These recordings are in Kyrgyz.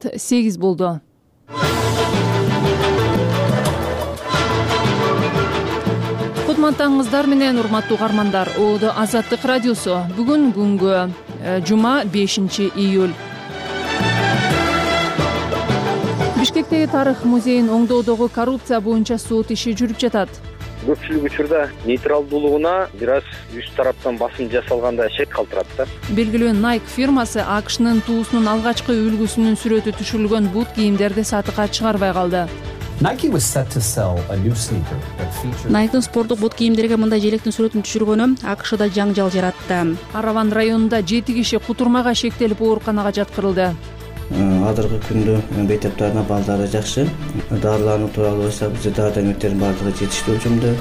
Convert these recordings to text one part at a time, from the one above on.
8 болду. Кутмандаңыздар менен урматтуу угармандар. Оодо Азаттык радиосу. Бүгүн күнгө жума 5-июль. Бишкектеги тарых музейин оңдоодогу коррупция боюнча сот иши жүрүп жатат. Көпчүлүк учурда нейтралдуулугуна бир аз үч тараптан басым жасалганда шек калтырат да. Белгилүү Nike фирмасы АКШнын туусунун алгачкы үлгүсүнүн сүрөтү түшүрүлгөн бут кийимдерди сатыкка чыгарбай калды. Nike'дын спорттук бут кийимдерге мындай желектин сүрөтүн түшүргөнү АКШда жаңжал жаратты. Араван районунда 7 киши кутурмага шектелип ооруканага жаткырылды. Азыркы күндө мектептердин абалдары жакшы. Дарылануу тууралуу болсо бизде дары дармектердин баардыгы жетиштүү өлчөмдө.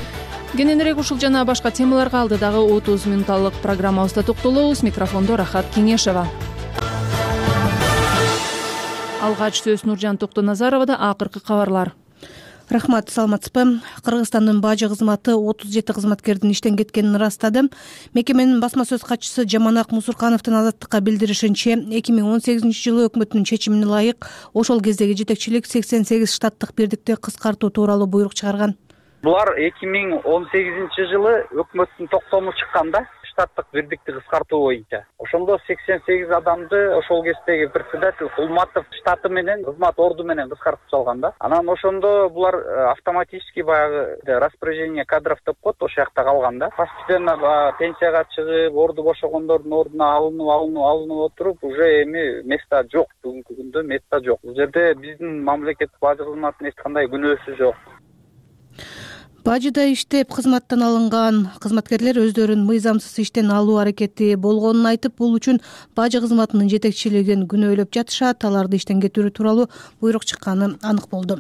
Кененирээк ушул жана башка темаларга алдыдагы 30 минутталык программабызда токтолобуз. Микрофондо Рахат Кеңешева. Алгач сөз Нуржан Токтоназаровада. Акыркы кабарлар. Рахмат, саламатсызбы? Кыргызстандын бажы кызматы 37 кызматкердин иштен кеткенин ырастады. Мекеменин басма сөз катчысы Жаманак Мусуркановдун Азаттыкка билдиришинче, 2018-жылы өкмөттүн чечимине ылайык ошол кездеги жетекчилик 88 штаттык бирдикти кыскартуу тууралуу буйрук чыгарган. Булар 2018-жылы өкмөттүн токтому чыкканда штаттык бирдикти кыскартуу боюнча. Ошондо 88 адамды ошол кездеги председатель Кулматов штаты менен кызмат орду менен кыскартып салган да. Анан ошондо булар автоматически баягы распоряжение кадров деп коет, ошол жакта калган да. Постепенно пенсияга чыгып, орду бошогондордун ордуна алынып отуруп, уже эми место жок. Бүгүнкү күндө место жок. Бул жерде биздин мамлекеттик бажы кызматынын эч кандай күнөөсү жок. Бажыда иштеп кызматтан алынган кызматкерлер өздөрүн мыйзамсыз иштен алуу аракети болгонун айтып, бул үчүн бажы кызматынын жетекчилигин күнөөлөп жатышат. Аларды иштен кетирүү тууралуу буйрук чыкканы анык болду.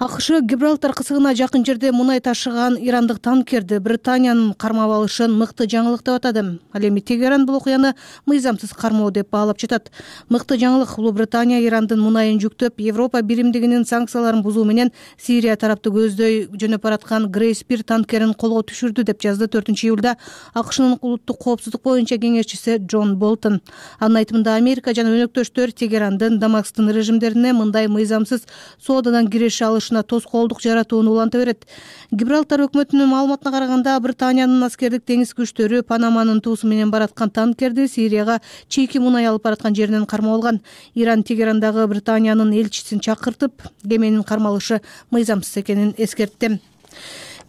АКШ Гибралтар кысыгына жакын жерде мунай ташыган ирандык танкерди Британиянын кармап алышын мыкты жаңылык деп атады. Ал эми Тегеран бул окуяны мыйзамсыз кармоо деп баалап жатат. Мыкты жаңылык бул Британия Ирандын мунайын жүктөп, Европа биримдигинин санкцияларын бузуу менен Сирия тарапты көздөй жөнөп бараткан Грейспир танкерин колго түшүрдү деп жазды 4-июлда АКШнын улуттук коопсуздук боюнча кеңешчиси Джон Болтон. Анын айтымында Америка жана өнөктөштөр Тегерандын Дамасктын режимдерине мындай мыйзамсыз соодадан киреше алышына тоскоолдук жаратууну уланта берет. Гибралтар өкмөтүнүн маалыматына караганда, Британиянын аскердик деңиз күчтөрү Панаманын туусу менен бараткан танкерди Сирияга чийки мунай алып бараткан жеринен кармап алган. Иран Тегерандагы Британиянын элчисин чакыртып, кеменин кармалышы мыйзамсыз экенин эскертти.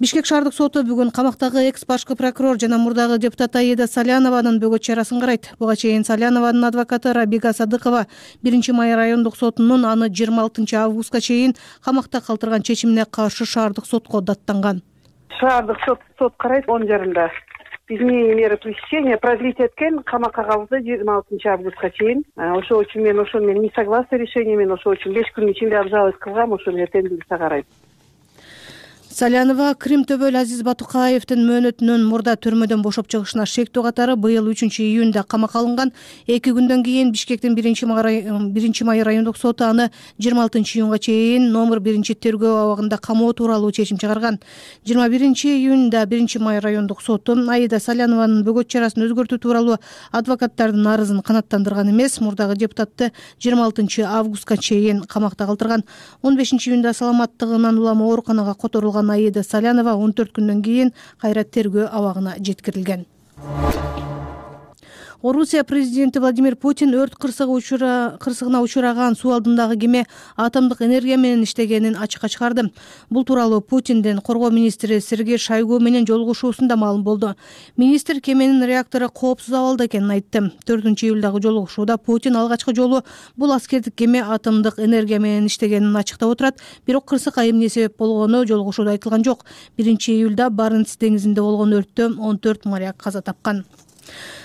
Бишкек шаардык соту бүгүн камактагы экс-башкы прокурор жана мурдагы депутат Аида Салянованын бөгөт чарасын карайт. Буга чейин Салянованын адвокаты Рабига Садыкова 1-май райондук сотунун аны 26 августка чейин камакта калтырган чечимине каршы шаардык сотко даттанган. Шаардык сот карайт 10 жарымда. Изменение меры пресечения продлить эткен камакка калды 26 августка чейин. Ошол үчүн мен ошол менен не согласна решением, мен ошол үчүн 5 күн ичинде обжаловать кылгам, ошону эртең билсе карайт. Салянова Крим төбөл Азиз Батукаевдин мөөнөтүнөн мурда төрмөдөн бошоп чыгышына шектүү катары быйыл 3-июнда камакка алынган. 2 күндөн кийин Бишкектин 1-май райондук соту аны 26-июнга чейин номер 1-тергөө абагында камоо тууралуу чечим чыгарган. 21-июнда 1-май райондук соту Аида Салянованын бөгөт чарасын өзгөртүү тууралуу адвокаттардын арызын канааттандырган эмес, мурдагы депутатты 26 августка чейин камакта калтырган. 15-июнда саламаттыгынан улам ооруканага которулган Аида Салянова 14 күндөн кийин кайра тергөө абагына жеткирилген. Орусия президенти Владимир Путин өрт кырсыгына учураган суу алдындагы кеме атомдук энергия менен иштегенин ачыкка чыгарды. Бул тууралуу Путиндин коргоо министри Сергей Шойгу менен жолугушуусунда маалым болду. Министр кеменин реактору коопсуз абалда экенин айтты. 4-июлдагы жолугушууда Путин алгачкы жолу бул аскердик кеме атомдук энергия менен иштегенин ачыктап отурат, бирок кырсыкка эмне себеп болгону жолугушууда айтылган жок. 1-июлда Баренц деңизинде болгон өрттө 14 моряк каза тапкан.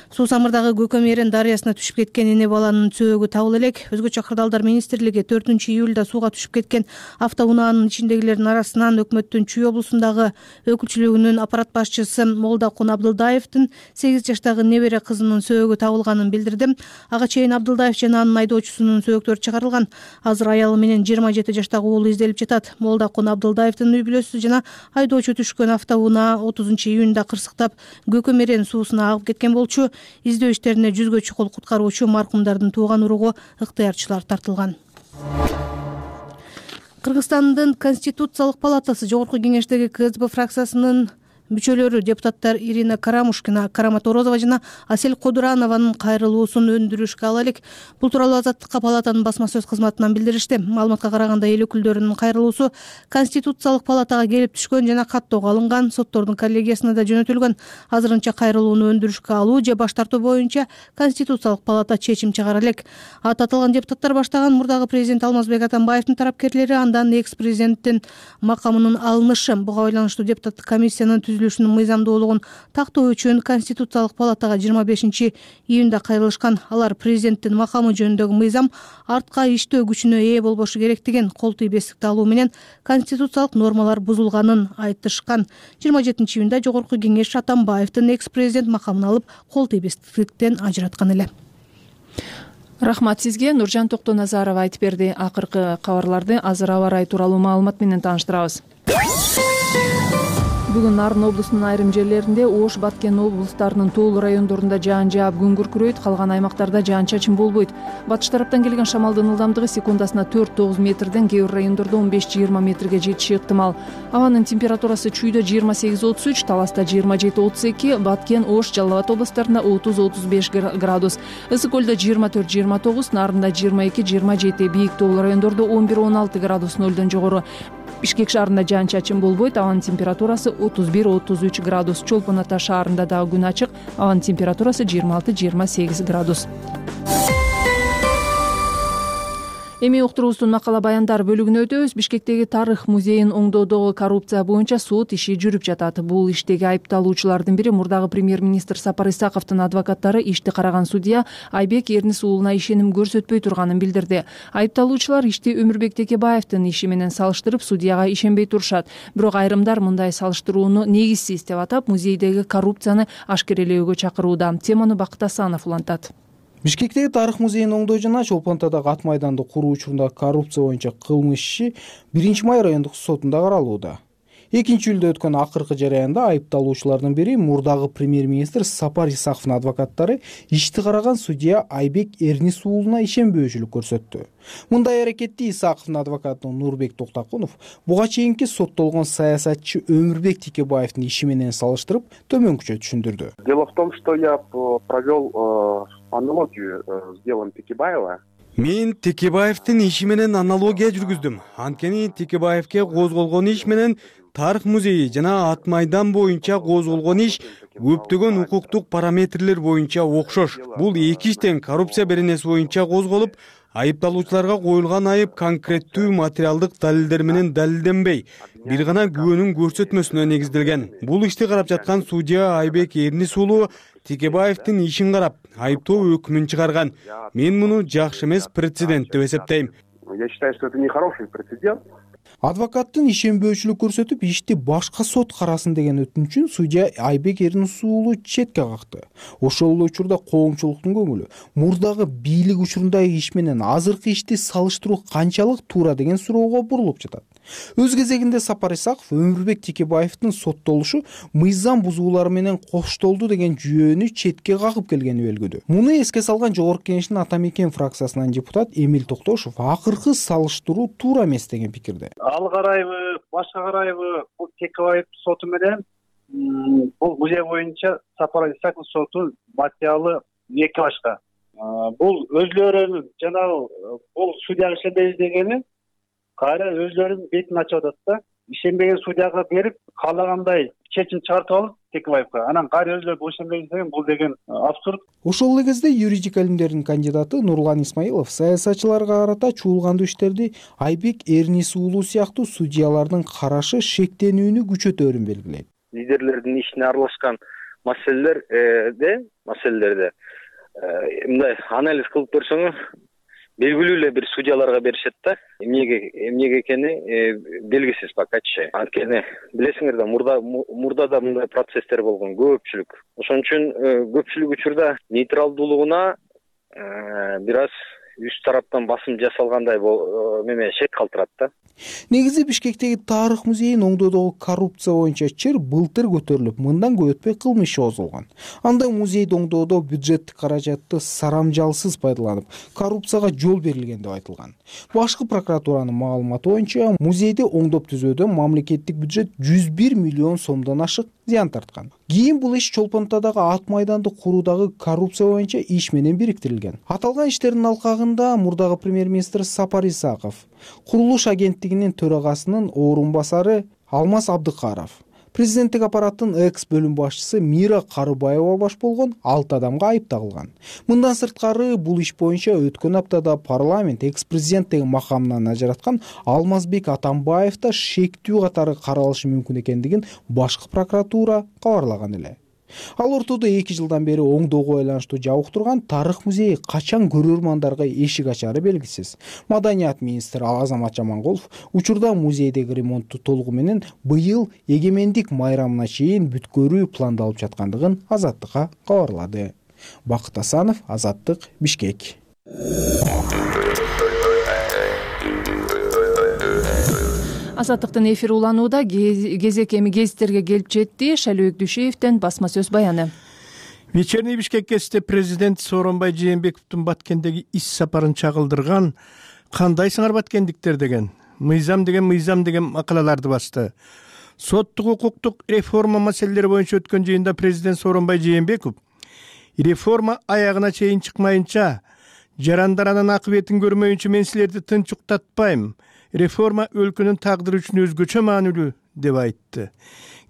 Суу самырдагы Көкөмерен дарыясына түшүп кеткен эне баланын сөөгү табыла элек. Өзгөчө кырдаалдар министрлиги 4-июлда сууга түшүп кеткен автоунаанын ичиндегилердин арасынан өкмөттүн Чүй облусундагы өкүлчүлүгүнүн аппарат башчысы Молдакун Абдылдаевдин 8 жаштагы небере кызынын сөөгү табылганын билдирди. Ага чейин Абдылдаев жана анын айдоочусунун сөөктөрү чыгарылган. Азыр аялы менен 27 жаштагы уулу изделип жатат. Молдакун Абдылдаевдин үй бүлөсү жана айдоочу түшкөн автоунаа 30-июнда кырсыктап Көкөмерен суусуна агып кеткен болчу. Издөө иштерине 100гө чукул куткаруучу маркумдардын тууган уругу ыктыярчылар тартылган. Кыргызстандын Конституциялык палатасы жогорку кеңештеги КСДП фракциясынын мүчөлөрү депутаттар Ирина Карамушкина, Карама Торозова жана Асель Кодуранованын кайрылуусун өндүрүшкө ала элек. Бул тууралуу Азаттыкка палатанын басма сөз кызматынан билдиришти. Маалыматка караганда эл өкүлдөрүнүн кайрылуусу Конституциялык палатага келип түшкөн жана каттоого алынган, соттордун коллегиясына да жөнөтүлгөн. Азырынча кайрылууну өндүрүшкө алуу же баш тартуу боюнча Конституциялык палата чечим чыгара элек. Аты аталган депутаттар баштаган мурдагы президент Алмазбек Атамбаевдин тарапкерлери андан экс-президенттин макамынын алынышы, буга байланыштуу депутаттык комиссиянын түзүлүшүнүн мыйзамдуулугун тактоо үчүн Конституциялык палатага 25 июнда кайрылышкан. Алар президенттин макамы жөнүндөгү мыйзам артка иштөө күчүнө ээ болбошу керектигин, кол тийбестикти алуу менен конституциялык нормалар бузулганын айтышкан. 27 июнда жогорку кеңеш Атамбаевдин экс-президент макамын алып, кол тийбестиктен ажыраткан эле. Рахмат сизге. Нуржан Токтоназарова айтып берди. Акыркы кабарларды азыр аба ырайы тууралуу маалымат менен тааныштырабыз. Бүгүн Нарын облусунун айрым жерлеринде, Ош, Баткен облустарынын тоолуу райондорунда жаан жаап, күн күркүрөйт, калган аймактарда жаан-чачын болбойт. Батыш тараптан келген шамалдын ылдамдыгы секундасына 4-9 метрден, кээ бир райондордо 15-20 метрге жетиши ыктымал. Абанын температурасы Чүйдө 28-33, Таласта 27-32, Баткен, Ош, Жалал Абад областарында 30-35 градус. Ысык көлдө 24-29, Нарында 22-27, бийик тоолуу райондордо 11-16 градус нөлдөн жогору. Бишкек шаарында жаан-чачын болбойт, абанын температурасы 31-33 градус. Чолпон Ата шаарында дагы күн ачык, абанын температурасы 26-28 градус. Эми уктуруубуздун макала баяндар бөлүгүнө өтөбүз. Бишкектеги Тарых музейин оңдоодогу коррупция боюнча сот иши жүрүп жатат. Бул иштеги айыпталуучулардын бири мурдагы премьер-министр Сапар Исаковдун адвокаттары ишти караган судья Айбек Эрнис уулуна ишеним көрсөтпөй турганын билдирди. Айыпталуучулар ишти Өмүрбек Текебаевдин иши менен салыштырып, судьяга ишенбей турушат. Бирок айрымдар мындай салыштырууну негизсиз деп атап, музейдеги коррупцияны ашкерелөөгө чакырууда. Теманы Бакыт Асанов улантат. Бишкектеги Тарых музейин оңдоо жана Чолпон Атадагы ат майданды куруу учурунда коррупция боюнча кылмыш иши 1-май райондук сотунда каралууда. 2-июлда өткөн акыркы жараянда айыпталуучулардын бири мурдагы премьер-министр Сапар Исаковдун адвокаттары ишти караган судья Айбек Эрнис уулуна ишенбөөчүлүк көрсөттү. Мындай аракетти Исаковдун адвокаты Нурбек Токтакунов буга чейинки соттолгон саясатчы Өмүрбек Текебаевдин иши менен салыштырып төмөнкүчө түшүндүрдү. Дело в том, что я провел аналогию с делом Текебаева. Мен Текебаевдин иши менен аналогия жүргүздүм. Анткени Текебаевке козголгон иш менен Тарых музейи жана ат майдан боюнча козголгон иш көптөгөн укуктук параметрлер боюнча окшош. Бул эки иштен коррупция беренеси боюнча козголуп, айыпталуучуларга коюлган айып конкреттүү материалдык далилдер менен далилденбей, бир гана күбөнүн көрсөтмөсүнө негизделген. Бул ишти карап жаткан судья Айбек Эрнис уулу Текебаевдин ишин карап, айыптоо өкүмүн чыгарган. Мен муну жакшы эмес прецедент деп эсептейм. Я считаю, что это нехороший прецедент. Адвокаттын ишенбөөчүлүк көрсөтүп, ишти башка сот карасын деген өтүнүчүн судья Айбек Эрнис уулу четке какты. Ошол эле учурда коомчулуктун көңүлү мурдагы бийлик учурундагы иш менен азыркы ишти салыштыруу канчалык туура деген суроого бурулуп жатат. Өз кезегинде Сапар Исаков Өмүрбек Текебаевдин соттолушу мыйзам бузуулары менен коштолду деген жүйөнү четке какып келгени белгилүү. Муну эске салган жогорку кеңештин Ата Мекен фракциясынан депутат Эмил Токтошов акыркы салыштыруу туура эмес деген пикирде. Ал карайбы, башка карайбы, бул Текебаев соту менен бул музей боюнча Сапар Исаков соту материалы эки башка. Бул өзлөрүнүн жана бул судьяга ишенбейбиз дегени кайра өзлөрүнүн бетин ачып атат да. Ишенбеген судьяга берип, каалагандай чечим чыгартып алып Текебаевга. Анан кайра өзлөрү ишенбейбиз деген бул деген абсурд. Ошол эле кезде юридика илимдеринин кандидаты Нурлан Исмаилов саясатчыларга карата чуулгандуу иштерди Айбек Эрнис уулу сыяктуу судьялардын карашы шектенүүнү күчөтөөрүн белгилейт. Лидерлердин ишине аралашкан маселелерде мындай анализ кылып көрсөңүз, белгилүү эле бир судьяларга беришет да. Эмнеге экени белгисиз покаччы. Анткени билесиңер да, мурда да мындай процесстер болгон көпчүлүк. Ошон үчүн көпчүлүк учурда нейтралдуулугуна бир аз үч тараптан басым жасалгандай неме шек калтырат да. Негизи Бишкектеги тарых музейин оңдоодогу коррупция боюнча чыр былтыр көтөрүлүп, мындан көп өтпөй кылмыш иши козголгон. Анда музейди оңдоодо бюджеттик каражатты сарамжалсыз пайдаланып, коррупцияга жол берилген деп айтылган. Башкы прокуратуранын маалыматы боюнча, музейди оңдоп түзүүдө мамлекеттик бюджет 101 миллион сомдон ашык зыян тарткан. Кийин бул иш Чолпонтадагы ат майданды куруудагы коррупция боюнча иш менен бириктирилген. Аталган иштердин алкагында мурдагы премьер-министр Сапар Исаков, курулуш агенттигинин төрагасынын орун басары Алмаз Абдыкаров, президенттик аппараттын экс бөлүм башчысы Мира Карыбаева баш болгон 6 адамга айып тагылган. Мындан сырткары бул иш боюнча өткөн аптада парламент экс-президент деген макамынан ажыраткан Алмазбек Атамбаев да шектүү катары каралышы мүмкүн экендигин башкы прокуратура кабарлаган эле. Ал ортодо 2 жылдан бери оңдоого байланыштуу жабык турган тарых музейи качан көрөрмандарга эшик ачары белгисиз. Маданият министри Азамат Жаманголов учурда музейдеги ремонтту толугу менен быйыл эгемендик майрамына чейин бүткөрүү пландалып жаткандыгын Азаттыкка кабарлады. Бакыт Асанов, Азаттык, Бишкек. Азаттыктын эфири уланууда. Кезек эми гезиттерге келип жетти. Шайлообек Дүйшеевден басма сөз баяны. Вечерний Бишкек кезинде президент Сооронбай Жээнбековдун Баткендеги иш сапарын чагылдырган "Кандайсыңар баткендиктер" деген мыйзам деген макалаларды басты. Соттук укуктук реформа маселелери боюнча өткөн жыйында президент Сооронбай Жээнбеков реформа аягына чейин чыкмайынча, жарандаранын акыбетин көрмөйүнчө мен силерди тынч уктатпайм. Реформа өлкөнүн тагдыры үчүн өзгөчө маанилүү деп айтты.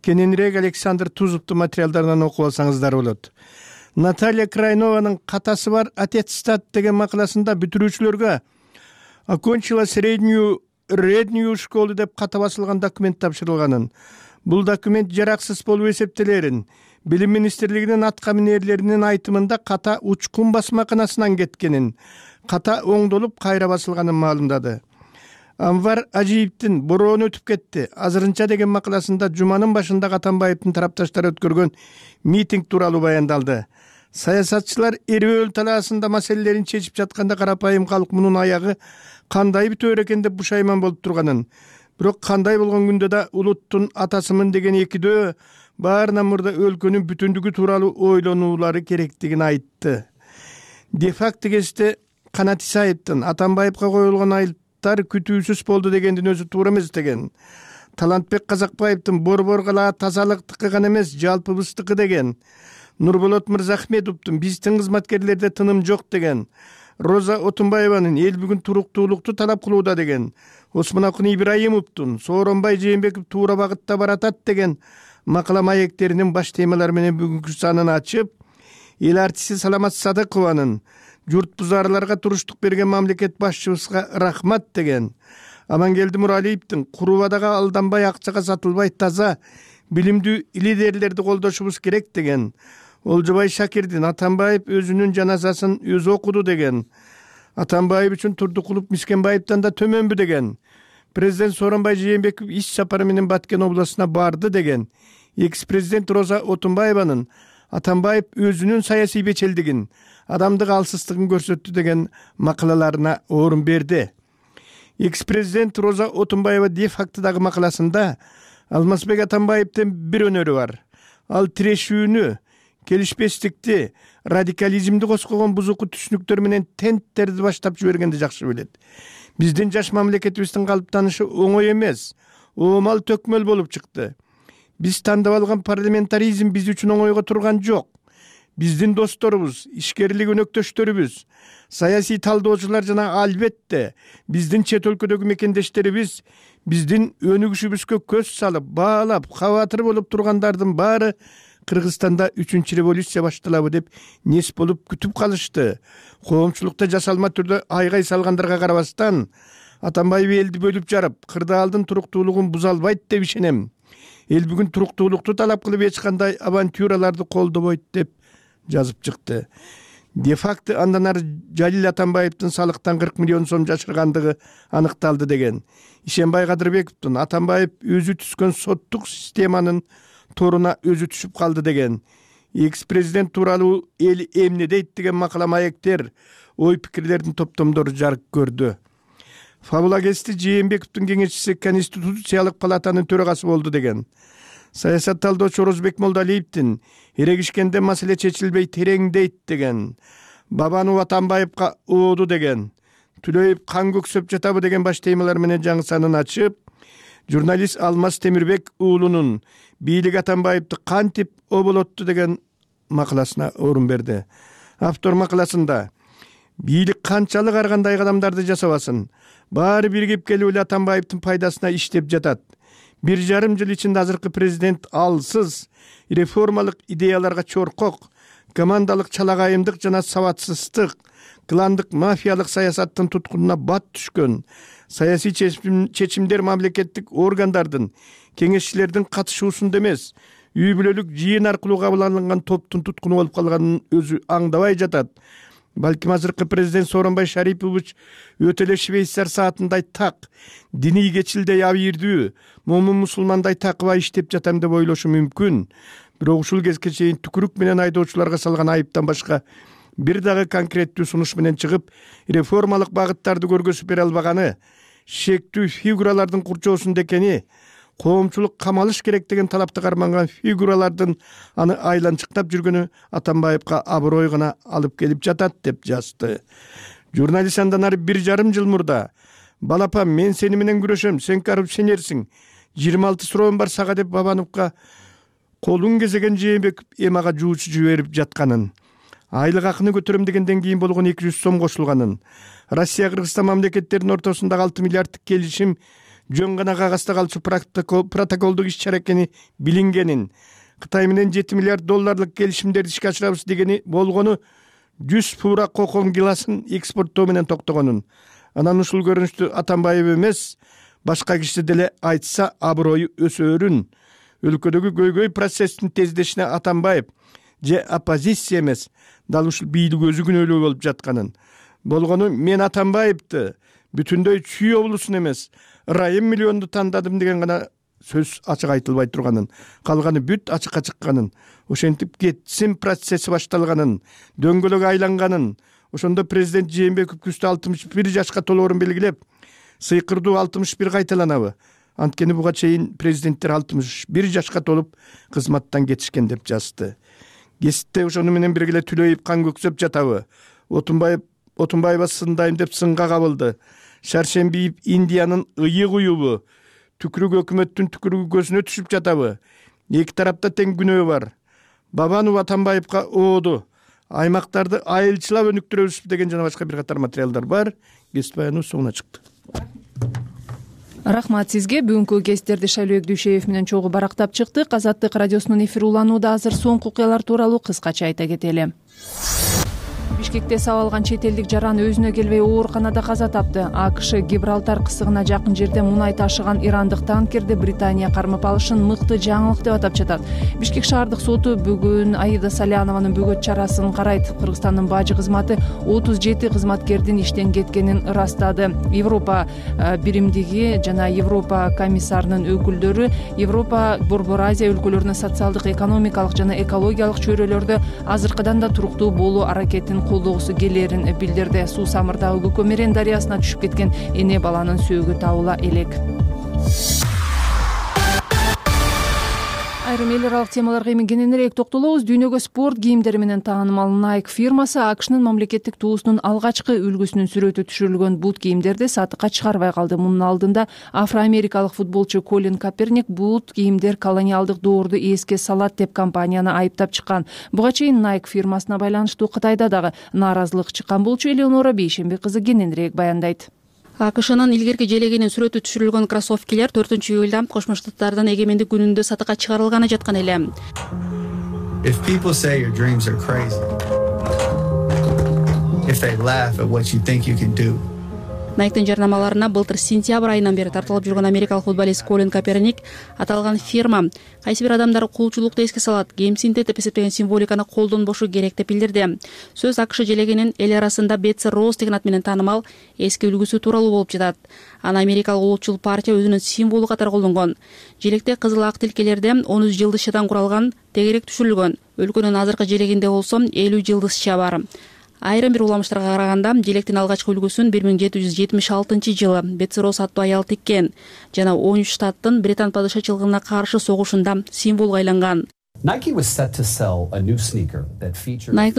Кененирээк Александр Тузовдун материалдарынан окуп алсаңыздар болот. Наталья Крайнованын "Катасы бар аттестат" деген макаласында бүтүрүүчүлөргө окончила среднюю школу деп ката басылган документ тапшырылганын, бул документ жараксыз болуп эсептелерин, Билим министрлигинин атка минерлеринин айтымында ката учкун басмаканасынан кеткенин, ката оңдолуп кайра басылганын маалымдады. Анвар Ажиевдин "Бороону өтүп кетти. Азырынча" деген макаласында жуманын башында Атамбаевдин тарапташтары өткөргөн митинг тууралуу баяндалды. Саясатчылар эрбөөл талаасында маселелерин чечип жатканда карапайым калк мунун аягы кандай бүтөөр экен деп бушайман болуп турганын, бирок кандай болгон күндө да улуттун атасымын деген экидөө баарынан мурда өлкөнүн бүтүндүгү тууралуу ойлонуулары керектигин айтты. Де-факто кезде Канат Исаевдин Атамбаевга коюлгон айыптар күтүүсүз болду дегендин өзү туура эмес деген. Талантбек Казакбаевдин борбор кала тазалыктыкы гана эмес, жалпыбыздыкы деген. Нурболот Мырзахметовдун биздин кызматкерлерде тыным жок деген. Роза Отунбаеванын эл бүгүн туруктуулукту талап кылууда деген. Осмонакун Ибраимовдун Сооронбай Жээнбеков туура багытта баратат деген макала маектеринин баш темалары менен бүгүнкү санын ачып, эл артисти Саламат Садыкованын журт бузарларга туруштук берген мамлекет башчыбызга рахмат деген. Амангелди Муралиевдин Курубадагы алданбай акчага сатылбай таза билимдүү лидерлерди колдошубуз керек деген. Олжобай Шакирдин Атамбаев өзүнүн жаназасын өзү окуду деген. Атамбаев үчүн Турдукулов Мискенбаевден да төмөнбү деген. Президент Сооронбай Жээнбеков иш сапары менен Баткен областына барды деген. Экс-президент Роза Отунбаеванын Атамбаев өзүнүн саясий бечелдигин, адамдык алсыздыгын көрсөттү деген макалаларына орун берди. Экс-президент Роза Отунбаева де-фактыдагы макаласында Алмазбек Атамбаевдин бир өнөрү бар. Ал тирешүүнү, келишпестикти, радикализмди коскогон бузуку түшүнүктөр менен тенттерди баштап жибергенди жакшы билет. Биздин жаш мамлекетибиздин калыптанышы оңой эмес, оомал төкмөл болуп чыкты. Биз тандап алган парламентаризм биз үчүн оңойго турган жок. Биздин досторубуз, ишкерлик өнөктөштөрүбүз, саясий талдоочулар жана албетте биздин чет өлкөдөгү мекендештерибиз биздин өнүгүшүбүзгө көз салып, баалап, кабатыр болуп тургандардын баары Кыргызстанда 3-чү революция башталабы деп нес болуп күтүп калышты. Коомчулукта жасалма түрдө айгай салгандарга карабастан, Атамбаев элди бөлүп жарып, кырдаалдын туруктуулугун буза албайт деп ишенем. Эл бүгүн туруктуулукту талап кылып эч кандай авантюраларды колдобойт деп жазып чыкты. Де-факто андан ары Жалил Атамбаевдин салыктан 40 миллион сом жашыргандыгы аныкталды деген. Ишенбай Кадырбековдун Атамбаев өзү түзгөн соттук системанын торуна өзү түшүп калды деген. Экс-президент тууралуу эл эмне дейт деген макала маектер ой пикирлердин топтомдору жарык көрдү. Фабула Кести Жээнбековдун кеңешчиси Конституциялык палатанын төрагасы болду деген. Саясат талдоочу Орозбек Молдалиевдин эрегишкенде маселе чечилбей тереңдейт деген. Бабанов Атамбаевка ооду деген. Түлөйүп кан көксөп жатабы деген баш темалар менен жаңы санын ачып, журналист Алмаз Темирбек уулунун бийлик Атамбаевди кантип оболотту деген макаласына орун берди. Автор макаласында бийлик канчалык ар кандай кадамдарды жасабасын, баары биригип келип эле Атамбаевдин пайдасына иштеп жатат. 1,5 жыл ичинде азыркы президент алсыз, реформалык идеяларга чоркок, командалык чалагайымдык жана сабатсыздык, кландык мафиялык саясаттын туткунуна бат түшкөн, саясий чечимдер мамлекеттик органдардын, кеңешчилердин катышуусунда эмес, үй бүлөлүк жыйын аркылуу кабыл алынган топтун туткуну болуп калганын өзү аңдабай жатат. Балким азыркы президент Сооронбай Шарипович өтө эле швейцар саатындай так, диний кечилдей абийирдүү, момун мусулмандай такыба иштеп жатам деп ойлошу мүмкүн. Бирок ушул кезге чейин түкүрүк менен айдоочуларга салган айыптан башка бир дагы конкреттүү сунуш менен чыгып, реформалык багыттарды көргөзүп бере албаганы, шектүү фигуралардын курчоосунда экени, коомчулук камалыш керек деген талапты карманган фигуралардын аны айланчыктап жүргөнү Атамбаевка аброй гана алып келип жатат деп жазды. Журналист андан ары 1,5 жыл мурда балапам мен сени менен күрөшөм, сен коррупционерсиң, 26 суроом бар сага деп Бабановго колун кезеген Жээнбеков эмага жуучу жиберип жатканын, айлык акыны көтөрөм дегенден кийин болгон 200 сом кошулганын, Россия Кыргызстан мамлекеттеринин ортосундагы 6 миллиарддык келишим жөн гана кагазда калчу протоколдук иш-чара экени билингенин, Кытай менен 7 миллиард долларлык келишимдерди ишке ашырабыз дегени болгону 100 пура кокон гиласын экспорттоо менен токтогонун. Анан ушул көрүнүштү Атамбаев эмес, башка киши деле айтса аброю өсөөрүн. Өлкөдөгү көйгөй процесстин тездешине Атамбаев же оппозиция эмес, дал ушул бийлик өзү күнөөлүү болуп жатканын. Болгону мен Атамбаевди бүтүндөй Чүй облусун эмес, Райым миллионду тандадым деген гана сөз ачык айтылбай турганын, калганы бүт ачыкка чыкканын, ошентип кетсин процесси башталганын, дөңгөлөк айланганын, ошондо президент Жээнбеков күздө 61 жашка толоорун белгилеп, сыйкырдуу 61 кайталанабы? Анткени буга чейин президенттер 61 жашка толуп кызматтан кетишкен деп жазды. Геситте ошону менен бирге Түлөйүп кан көксөп жатабы? Отунбаева сындайм деп сынга кабылды. Шаршембиев Индиянын ыйык уюбу? Түкүрүк өкмөттүн түкүрүгү көзүнө түшүп жатабы? Эки тарапта тең күнөө бар. Бабанов Атамбаевка ооду. Аймактарды айылчылап өнүктүрөбүз деген жана башка бир катар материалдар бар. Кесип баяныбыз соңуна чыкты. Рахмат сизге. Бүгүнкү кесиптерди Шайлообек Дүйшеев менен чогуу барактап чыктык. Азаттык радиосунун эфири уланууда. Азыр соңку окуялар тууралуу кыскача айта кетели. Бишкекте сабалган чет элдик жаран өзүнө келбей ооруканада каза тапты. АКШ Гибралтар кысыгына жакын жерде мунай ташыган ирандык танкерди Британия кармап алышын мыкты жаңылык деп атап жатат. Бишкек шаардык соту бүгүн Аида Салянованын бөгөт чарасын карайт. Кыргызстандын бажы кызматы 37 кызматкердин иштен кеткенин ырастады. Европа биримдиги жана Европа комиссарынын өкүлдөрү Европа Борбор Азия өлкөлөрүнүн социалдык, экономикалык жана экологиялык чөйрөлөрдө азыркыдан да туруктуу болуу аракетин колдогусу келерин билдирди. Суу Самырдагы Көкөмөрен дарыясына түшүп кеткен эне баланын сөөгү табыла элек. Айрым эл аралык темаларга эми кененирээк токтолобуз. Дүйнөгө спорт кийимдери менен таанымал Nike фирмасы АКШнын мамлекеттик туусунун алгачкы үлгүсүнүн сүрөтү түшүрүлгөн бут кийимдерди сатыкка чыгарбай калды. Мунун алдында афроамерикалык футболчу Колин Каперник бут кийимдер колониалдык доорду эске салат деп компанияны айыптап чыккан. Буга чейин Nike фирмасына байланыштуу Кытайда дагы нааразылык чыккан болчу. Элеонора Бейшембек кызы кененирээк баяндайт. АКШнын илгерки желегинин сүрөтү түшүрүлгөн кроссовкилер 4-июлда Кошмо Штаттардын эгемендик күнүндө сатыкка чыгарылганы жаткан эле. If people say your dreams are crazy, if they laugh at what you think you can do. Nike'дин жарнамаларына былтыр сентябрь айынан бери тартылып жүргөн америкалык футболист Колин Каперник аталган фирма кайсы бир адамдар кулчулукту эске салат, кемсинтет деп эсептеген символиканы колдонбошу керек деп билдирди. Сөз АКШ желегинин эл арасында Бетси Роуз деген ат менен таанымал эски үлгүсү тууралуу болуп жатат. Аны америкалык улутчул партия өзүнүн символу катары колдонгон. Желекте кызыл ак тилкелерде 13 жылдызчадан куралган тегерек түшүрүлгөн. Өлкөнүн азыркы желегинде болсо 50 жылдызча бар. Айрым бир уламыштарга караганда желектин алгачкы үлгүсүн 1776-жылы Бетсиро аттуу аял тиккен жана 13 штаттын британ падышачылыгына каршы согушунда символго айланган. Nike'дын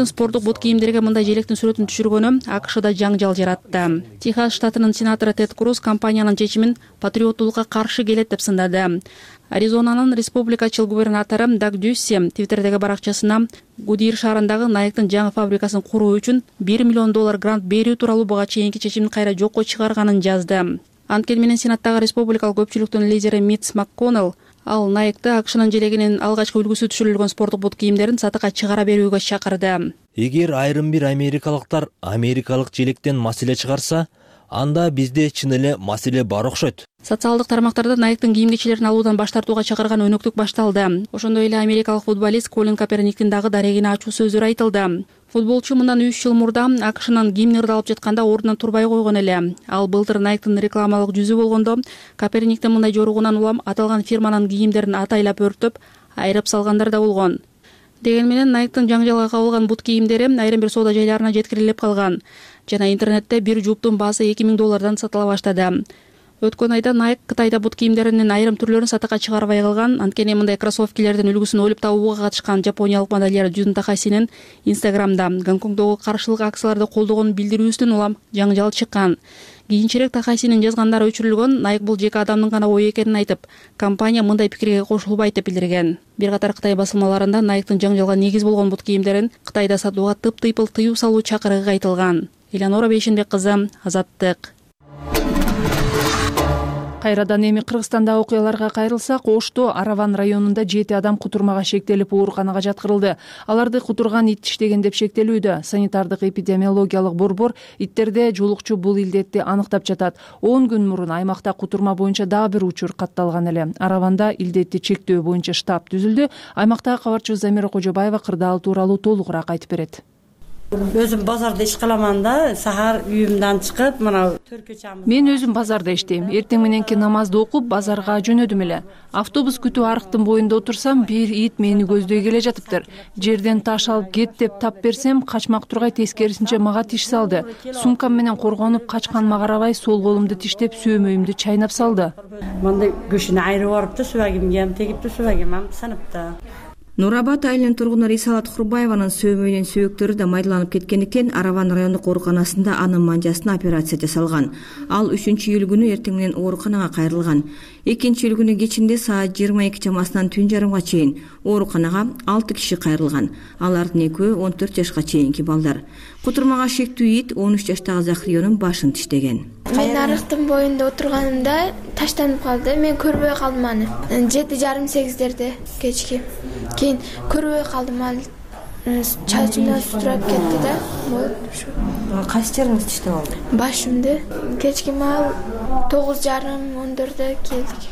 спорттук бут кийимдерге мындай желектин сүрөтүн түшүргөнү АКШда жаңжал жаратты. Техас штатынын сенатору Тед Круз компаниянын чечимин патриоттуулукка каршы келет деп сындады. Аризонанын республикачыл губернатору Даг Дюсси Твиттердеги баракчасына Гудир шаарындагы Nike'дын жаңы фабрикасын куруу үчүн $1 миллион грант берүү тууралуу буга чейинки чечимин кайра жокко чыгарганын жазды. Анткени менен сенаттагы республикалык көпчүлүктүн лидери Митч МакКоннелл ал Nike'ды АКШнын желегинин алгачкы үлгүсү түшүрүлгөн спорттук бут кийимдерин сатыкка чыгара берүүгө чакырды. Эгер айрым бир америкалыктар америкалык желектен маселе чыгарса, анда бизде чын эле маселе бар окшойт. Социалдык тармактарда Nike'дын кийим кечелерин алуудан баш тартууга чакырган өнөктүк башталды. Ошондой эле америкалык футболист Колин Каперниктин дагы дарегине ачуу сөздөр айтылды. Футболчу мындан 3 жыл мурда АКШнын гимни ырдалып жатканда ордунан турбай койгон эле. Ал былтыр Nike'дын рекламалык жүзү болгондо Каперниктин мындай жоругунан улам аталган фирманын кийимдерин атайлап өртөп, айрып салгандар да болгон. Деген менен Nike'дын жаңжалга кабылган бут кийимдери айрым бир соода жайларына жеткирилип калган жана интернетте бир жуптун баасы $2000 сатыла баштады. Өткөн айда Nike Кытайда бут кийимдеринин айрым түрлөрүн сатыкка чыгарбай калган. Анткени мындай кроссовкилердин үлгүсүн ойлоп табууга катышкан жапониялык модельер Джун Такасинин Инстаграмда Гонконгдогу каршылык акцияларды колдогонун билдирүүсүнөн улам жаңжал чыккан. Кийинчерээк Такасинин жазгандары өчүрүлгөн. Nike бул жеке адамдын гана ою экенин айтып, компания мындай пикирге кошулбайт деп билдирген. Бир катар Кытай басылмаларында Nike'дын жаңжалга негиз болгон бут кийимдерин Кытайда сатууга тыптыйпыл тыюу салуу чакырыгы айтылган. Элеонора Бейшенбек кызы, Азаттык. Кайрадан эми Кыргызстандагы окуяларга кайрылсак, Ошто Араван районунда 7 адам кутурмага шектелип ооруканага жаткырылды. Аларды кутурган ит иштеген деп шектелүүдө. Санитардык эпидемиологиялык борбор иттерде жолукчу бул илдетти аныктап жатат. 10 күн мурун аймакта кутурма боюнча дагы бир учур катталган эле. Араванда илдетти чектөө боюнча штаб түзүлдү. Аймактагы кабарчыбыз Замира Кожобаева кырдаал тууралуу толугураак айтып берет. Өзүм базарда иш кыламан да, сахар үйүмдөн чыгып, мына төркөчамыз. Мен өзүм базарда иштейм. Эртең мененки намазды окуп, базарга жөнөдүм эле. Автобус күтүп арыктын боюнда отурсам, бир ит мени көздөй келе жатыптыр. Жерден таш алып кет деп тап берсем, качмак тургай тескерисинче мага тиш салды. Сумкам менен коргонуп качканыма карабай, сол колумду тиштеп, сөөмөйүмдү чайнап салды. Мындай көшүнө айрып барыпты, субагимге ham тегипти, субагим ham сыныпты. Нурабад айылынын тургуну Рисалат Курбаеванын сөөмөйүнүн сөөктөрү да майдаланып кеткендиктен Араван райондук ооруканасында анын манжасына операция жасалган. Ал 3-июль күнү эртең менен ооруканага кайрылган. 2-июль күнү кечинде саат 22 чамасынан түн жарымга чейин ооруканага 6 киши кайрылган. Алардын экөө 14 жашка чейинки балдар. Кутурмага шектүү ит 13 жаштагы Захриянын башын тиштеген. Мен арыктын боюнда отурганымда таштанып калды. Мен көрбөй калдым аны. 7:30-8-дерде кечки. Кийин көрбөй калдым, ал чачымдан сутурап кетти да. Кайсы жериңизди тиштеп алды? Башымды. Кечки мал 9:30-10-дөрдө келдик.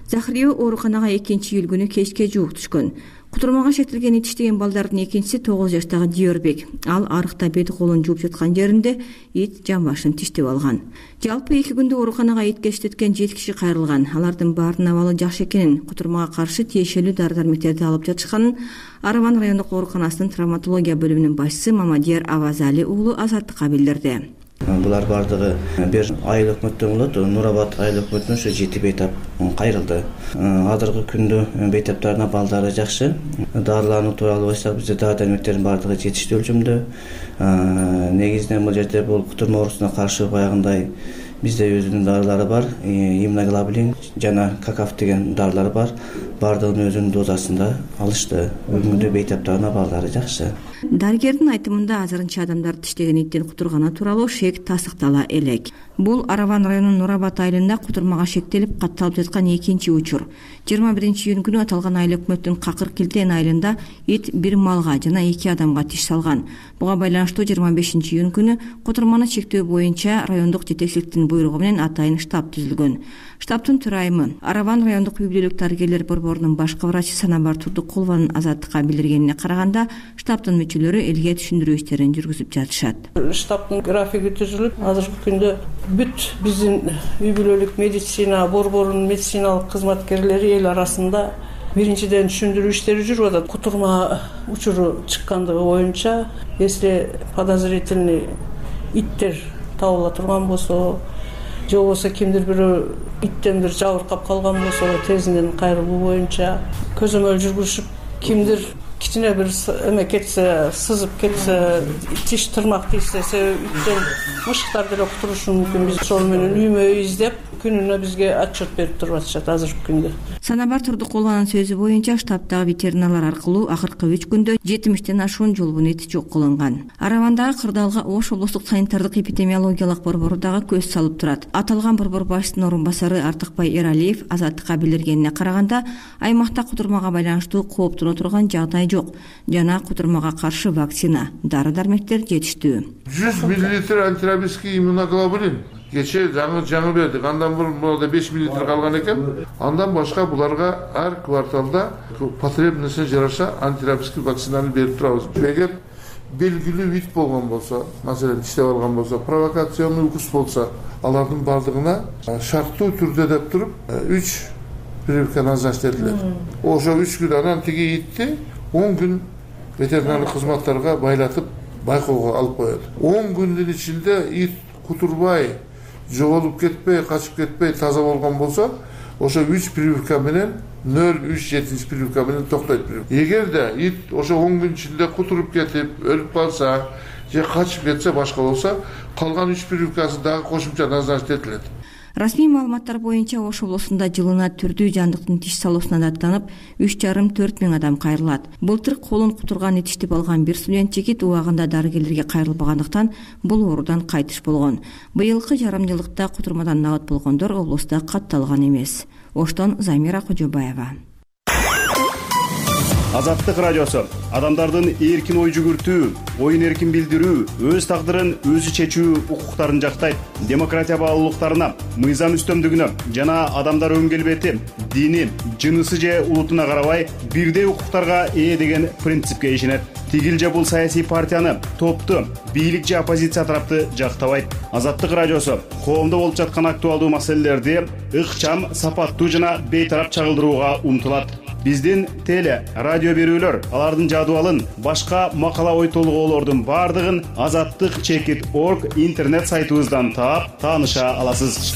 Захрия ооруканага 2-июль күнү кечке жуук түшкөн. Кутурмага шектелген ит иштеген балдардын экинчиси 9 жаштагы Диорбек. Ал арыкта бет колун жууп жаткан жеринде ит жан башын тиштеп алган. Жалпы 2 күндө ооруканага итке иштеткен 7 киши кайрылган. Алардын баарынын абалы жакшы экенин, кутурмага каршы тиешелүү дары-дармектерди алып жатышканын Араван райондук ооруканасынын травматология бөлүмүнүн башчысы Мамадияр Авазали уулу Азаттыкка билдирди. Булар бардыгы бир айыл өкмөттөн болот. Нурабад айыл өкмөтүнө ошо 7 бейтап кайрылды. Азыркы күндө бейтаптардын балдары жакшы. Дарылануу тууралуу айтсак, бизде дары-дармектердин бардыгы жетиштүү өлчөмдө. Негизинен бул жерде бул кутурма оорусуна каршы баягындай бизде өзүнүн дарылары бар. Иммуноглобулин жана какаф деген дарылар бар. Бардыгын өзүнүн дозасында алышты. Бүгүнкү бейтаптардын балдары жакшы. Дарыгердин айтымында азырынча адамдарды тиштеген иттин кутурганы тууралуу шек тасыктала элек. Бул Араван районунун Нурабад айылында кутурмага шектелип катталып жаткан экинчи учур. 21-июнь күнү аталган айыл өкмөттүн Какыр Килтен айылында ит бир малга жана 2 адамга тиш салган. Буга байланыштуу 25-июнь күнү кутурманы чектөө боюнча райондук жетекчиликтин буйругу менен атайын штаб түзүлгөн. Штабтын төрайымы Араван райондук үй-бүлөлүк дарыгерлер борборунун башкы врачы Санабар Турдукулованын Азаттыкка билдиргенине караганда, штабтын мүчөлөрү элге түшүндүрүү иштерин жүргүзүп жатышат. Штабтын графиги түзүлүп, азыркы күндө бүт биздин үй-бүлөлүк медицина борборунун медициналык кызматкерлери эл арасында биринчиден түшүндүрүү иштери жүрүп атат. Кутурма учуру чыккандыгы боюнча, если подозрительный иттер табыла турган болсо, же болбосо кимдир бирөө иттен бир жабыркап калган болсо, тезинен кайрылуу боюнча көзөмөл жүргүзүп, кимдир кичине бир эме кетсе, сызып кетсе, тиш тырмак тийсе, иттен мышыктар деле кутурушу мүмкүн. Биз ошол менен үймө издеп, күнүнө бизге отчет берип туруп атышат азыркы күндө. Санабар Турдукулованын сөзү боюнча, штабтагы ветеринарлар аркылуу акыркы 3 күндө 70тен ашуун жолбун эти жок кылынган. Аравандагы кырдаалга Ош облустук санитардык эпидемиологиялык борбору дагы көз салып турат. Аталган борбор башчысынын орун басары Артыкбай Эралиев Азаттыкка билдиргенине караганда, аймакта кутурмага байланыштуу кооптоно турган жагдай жок жана кутурмага каршы вакцина, дары-дармектер жетиштүү. 100 мл антирабический иммуноглобулин кече жаңы бердик. Андан бурун бул 5 мл калган экен. Андан башка буларга ар кварталда потребностуна жараша антирабический вакцинаны берип турабыз. Эгер белгилүү вид болгон болсо, маселен иштеп алган болсо, провокационный укус болсо, алардын бардыгына шарттуу түрдө деп туруп 3 прививка назначить этилет. Ошо 3 күн анан тиги итти 10 күн ветеринарлык кызматтарга байлатып байкоого алып коет. 10 күндүн ичинде ит кутурбай, жоголуп кетпей, качып кетпей таза болгон болсо, ошо 3 прививка менен 0,3 прививка менен токтойт. Эгерде ит ошо 10 күн ичинде кутуруп кетип, өлүп калса, же качып кетсе, башка болсо, калган 3 прививкасы дагы кошумча назначить этилет. Расмий маалыматтар боюнча Ош облусунда жылына түрдүү жандыктын тиш салуусуна даттанып 3,5–4 миң адам кайрылат. Былтыр колун кутурган этиштип алган бир студент жигит убагында дарыгерлерге кайрылбагандыктан бул оорудан кайтыш болгон. Быйылкы жарым жылдыкта кутурмадан набат болгондор облуста катталган эмес. Оштон Замира Кожобаева. Азаттык радиосу адамдардын эркин ой жүгүртүү, оюн эркин билдирүү, өз тагдырын өзү чечүү укуктарын жактайт. Демократия баалуулуктарына, мыйзам үстөмдүгүнө жана адамдар өн келбети, дини, жынысы же улутуна карабай бирдей укуктарга ээ деген принципке ишенет. Тигил же бул саясий партияны, топту, бийлик же оппозиция тарапты жактабайт. Азаттык радиосу коомдо болуп жаткан актуалдуу маселелерди ыкчам, сапаттуу жана бейтарап чагылдырууга умтулат. Биздин теле, радио берүүлөр, алардын жадыбалын, башка макала ой толгоолордун бардыгын azattik.org интернет сайтыбыздан таап, тааныша аласыз.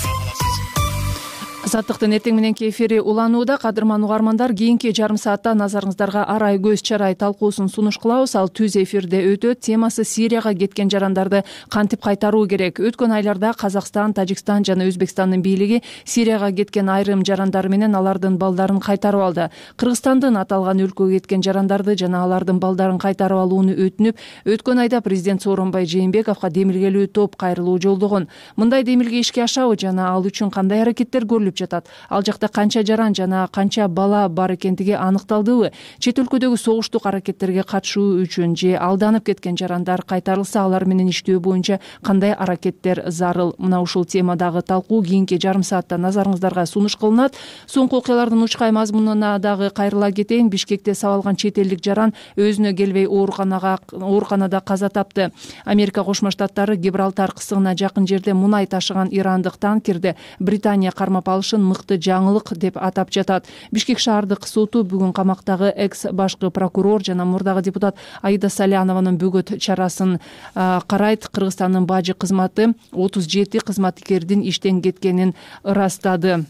Азаттыктын эртең мененки эфири уланууда. Кадырман угармандар, кийинки жарым саатта назарыңыздарга арай көз чарай талкуусун сунуш кылабыз. Ал түз эфирде өтөт. Темасы Сирияга кеткен жарандарды кантип кайтаруу керек. Өткөн айларда Казакстан, Тажикстан жана Өзбекстандын бийлиги Сирияга кеткен айрым жарандар менен алардын балдарын кайтарып алды. Кыргызстандын аталган өлкөгө кеткен жарандарды жана алардын балдарын кайтарып алууну өтүнүп, өткөн айда президент Сооронбай Жээнбековго демилгелүү топ кайрылуу жолдогон. Мындай демилге ишке ашабы жана ал үчүн кандай аракеттер көрүлүп жатат? Ал жакта канча жаран жана канча бала бар экендиги аныкталдыбы? Чет өлкөдөгү согуштук аракеттерге катышуу үчүн же алданып кеткен жарандар кайтарылса, алар менен иштөө боюнча кандай аракеттер зарыл? Мына ушул темадагы талкуу кийинки жарым саатта назарыңыздарга сунуш кылынат. Соңку окуялардын учкай мазмунуна дагы кайрыла кетейин. Бишкекте сабалган чет элдик жаран өзүнө келбей ооруканада каза тапты. Америка Кошмо Штаттары Гибралтар кысыгына жакын жерде мунай ташыган ирандык танкерди Британия кармап алышын мыкты жаңылык деп атап жатат. Бишкек шаардык соту бүгүн камактагы экс башкы прокурор жана мурдагы депутат Аида Салянованын бөгөт чарасын карайт. Кыргызстандын бажы кызматы 37 кызматкердин иштен кеткенин ырастады.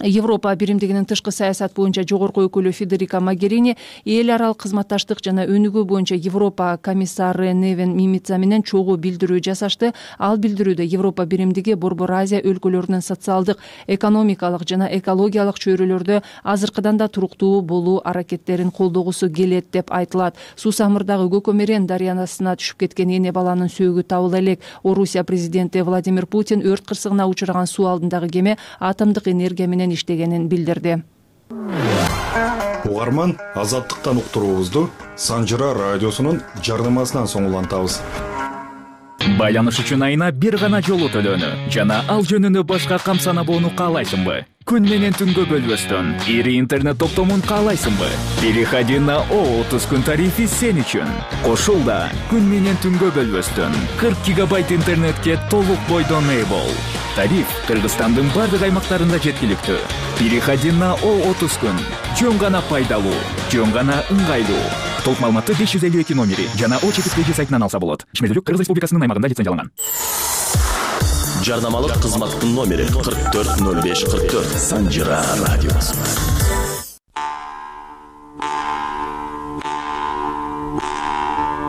Европа биримдигинин тышкы саясат боюнча жогорку өкүлү Федерика Могерини эл аралык кызматташтык жана өнүгүү боюнча Европа комиссары Невен Мимица менен чогуу билдирүү жасашты. Ал билдирүүдө Европа биримдиги Борбор Азия өлкөлөрүнүн социалдык, экономикалык жана экологиялык чөйрөлөрдө азыркыдан да туруктуу болуу аракеттерин колдогусу келет деп айтылат. Суусамырдагы Көкөмерен дарыянасына түшүп кеткен эне баланын сөөгү табыла элек. Орусия президенти Владимир Путин өрт кырсыгына учураган суу алдындагы кеме атомдук энергия менен иштегенин билдирди. Угарман, азаттыктан уктуруубузду Санжыра радиосунун жардамасынан соң улантабыз. Байланыш үчүн айына бир гана жолу төлөнү жана ал жөнүндө башка камсанабоону каалайсыңбы? Күн менен түнгө бөлбөстөн ири интернет топтомун каалайсыңбы? Переходи на О30 күн тарифи сен үчүн. Кошул да күн менен түнгө бөлбөстөн 40 гигабайт интернетке толук бойдон ээ бол. Тариф Кыргызстандын бардык аймактарында жеткиликтүү. Переходи на О30 күн. Жөн гана пайдалуу, жөн гана ыңгайлуу. Толук маалыматты 552 номери жана О4 сайтынан алса болот. Ишмердүүлүк Кыргыз Республикасынын аймагында лицензияланган. Жарнамалык кызматтын номери 440544. Санжира радиосу.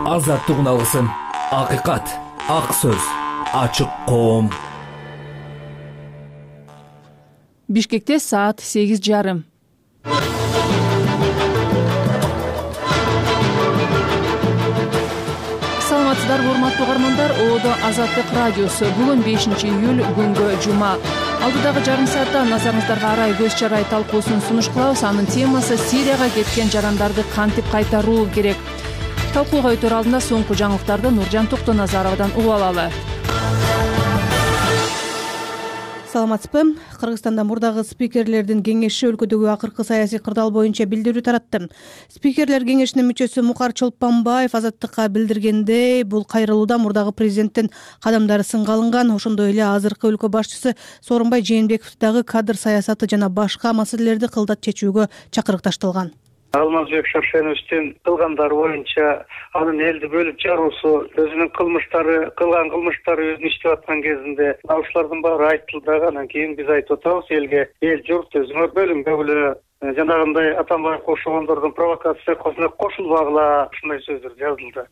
Азаттык алгысын. Акыйкат, ак сөз, ачык коом. Бишкекте саат 8:30. Саламатсыздарбы, урматтуу угармандар. Оодо Азаттык радиосу. Бүгүн 5-июль, күнгө жума. Алдыдагы жарым саатта назарыңыздарга арай көз чарай талкуусун сунуш кылабыз. Анын темасы Сирияга кеткен жарандарды кантип кайтаруу керек. Талкууга өтөр алдында соңку жаңылыктарды Нуржан Токтоназаровадан угуп алалы. Саламатсызбы? Кыргызстанда мурдагы спикерлердин кеңеши өлкөдөгү акыркы саясий кырдаал боюнча билдирүү таратты. Спикерлер кеңешинин мүчөсү Мукар Чолпонбаев Азаттыкка билдиргендей, бул кайрылууда мурдагы президенттин кадамдары сынга алынган. Ошондой эле азыркы өлкө башчысы Сооронбай Жээнбеков дагы кадр саясаты жана башка маселелерди кылдат чечүүгө чакырыкташтырган. Алмазбек Шаршеновичтин кылгандары боюнча анын элди бөлүп жаруусу, өзүнүн кылган кылмыштары өзүн иштеп аткан кезинде ушулардын баары айтылды. Анан кийин биз айтып атабыз, элге эл журт өзүңөр бөлүнбөгүлө, жанагындай Атамбаев кошулгондордун провокациясына кошулбагыла, ушундай сөздөр жазылды.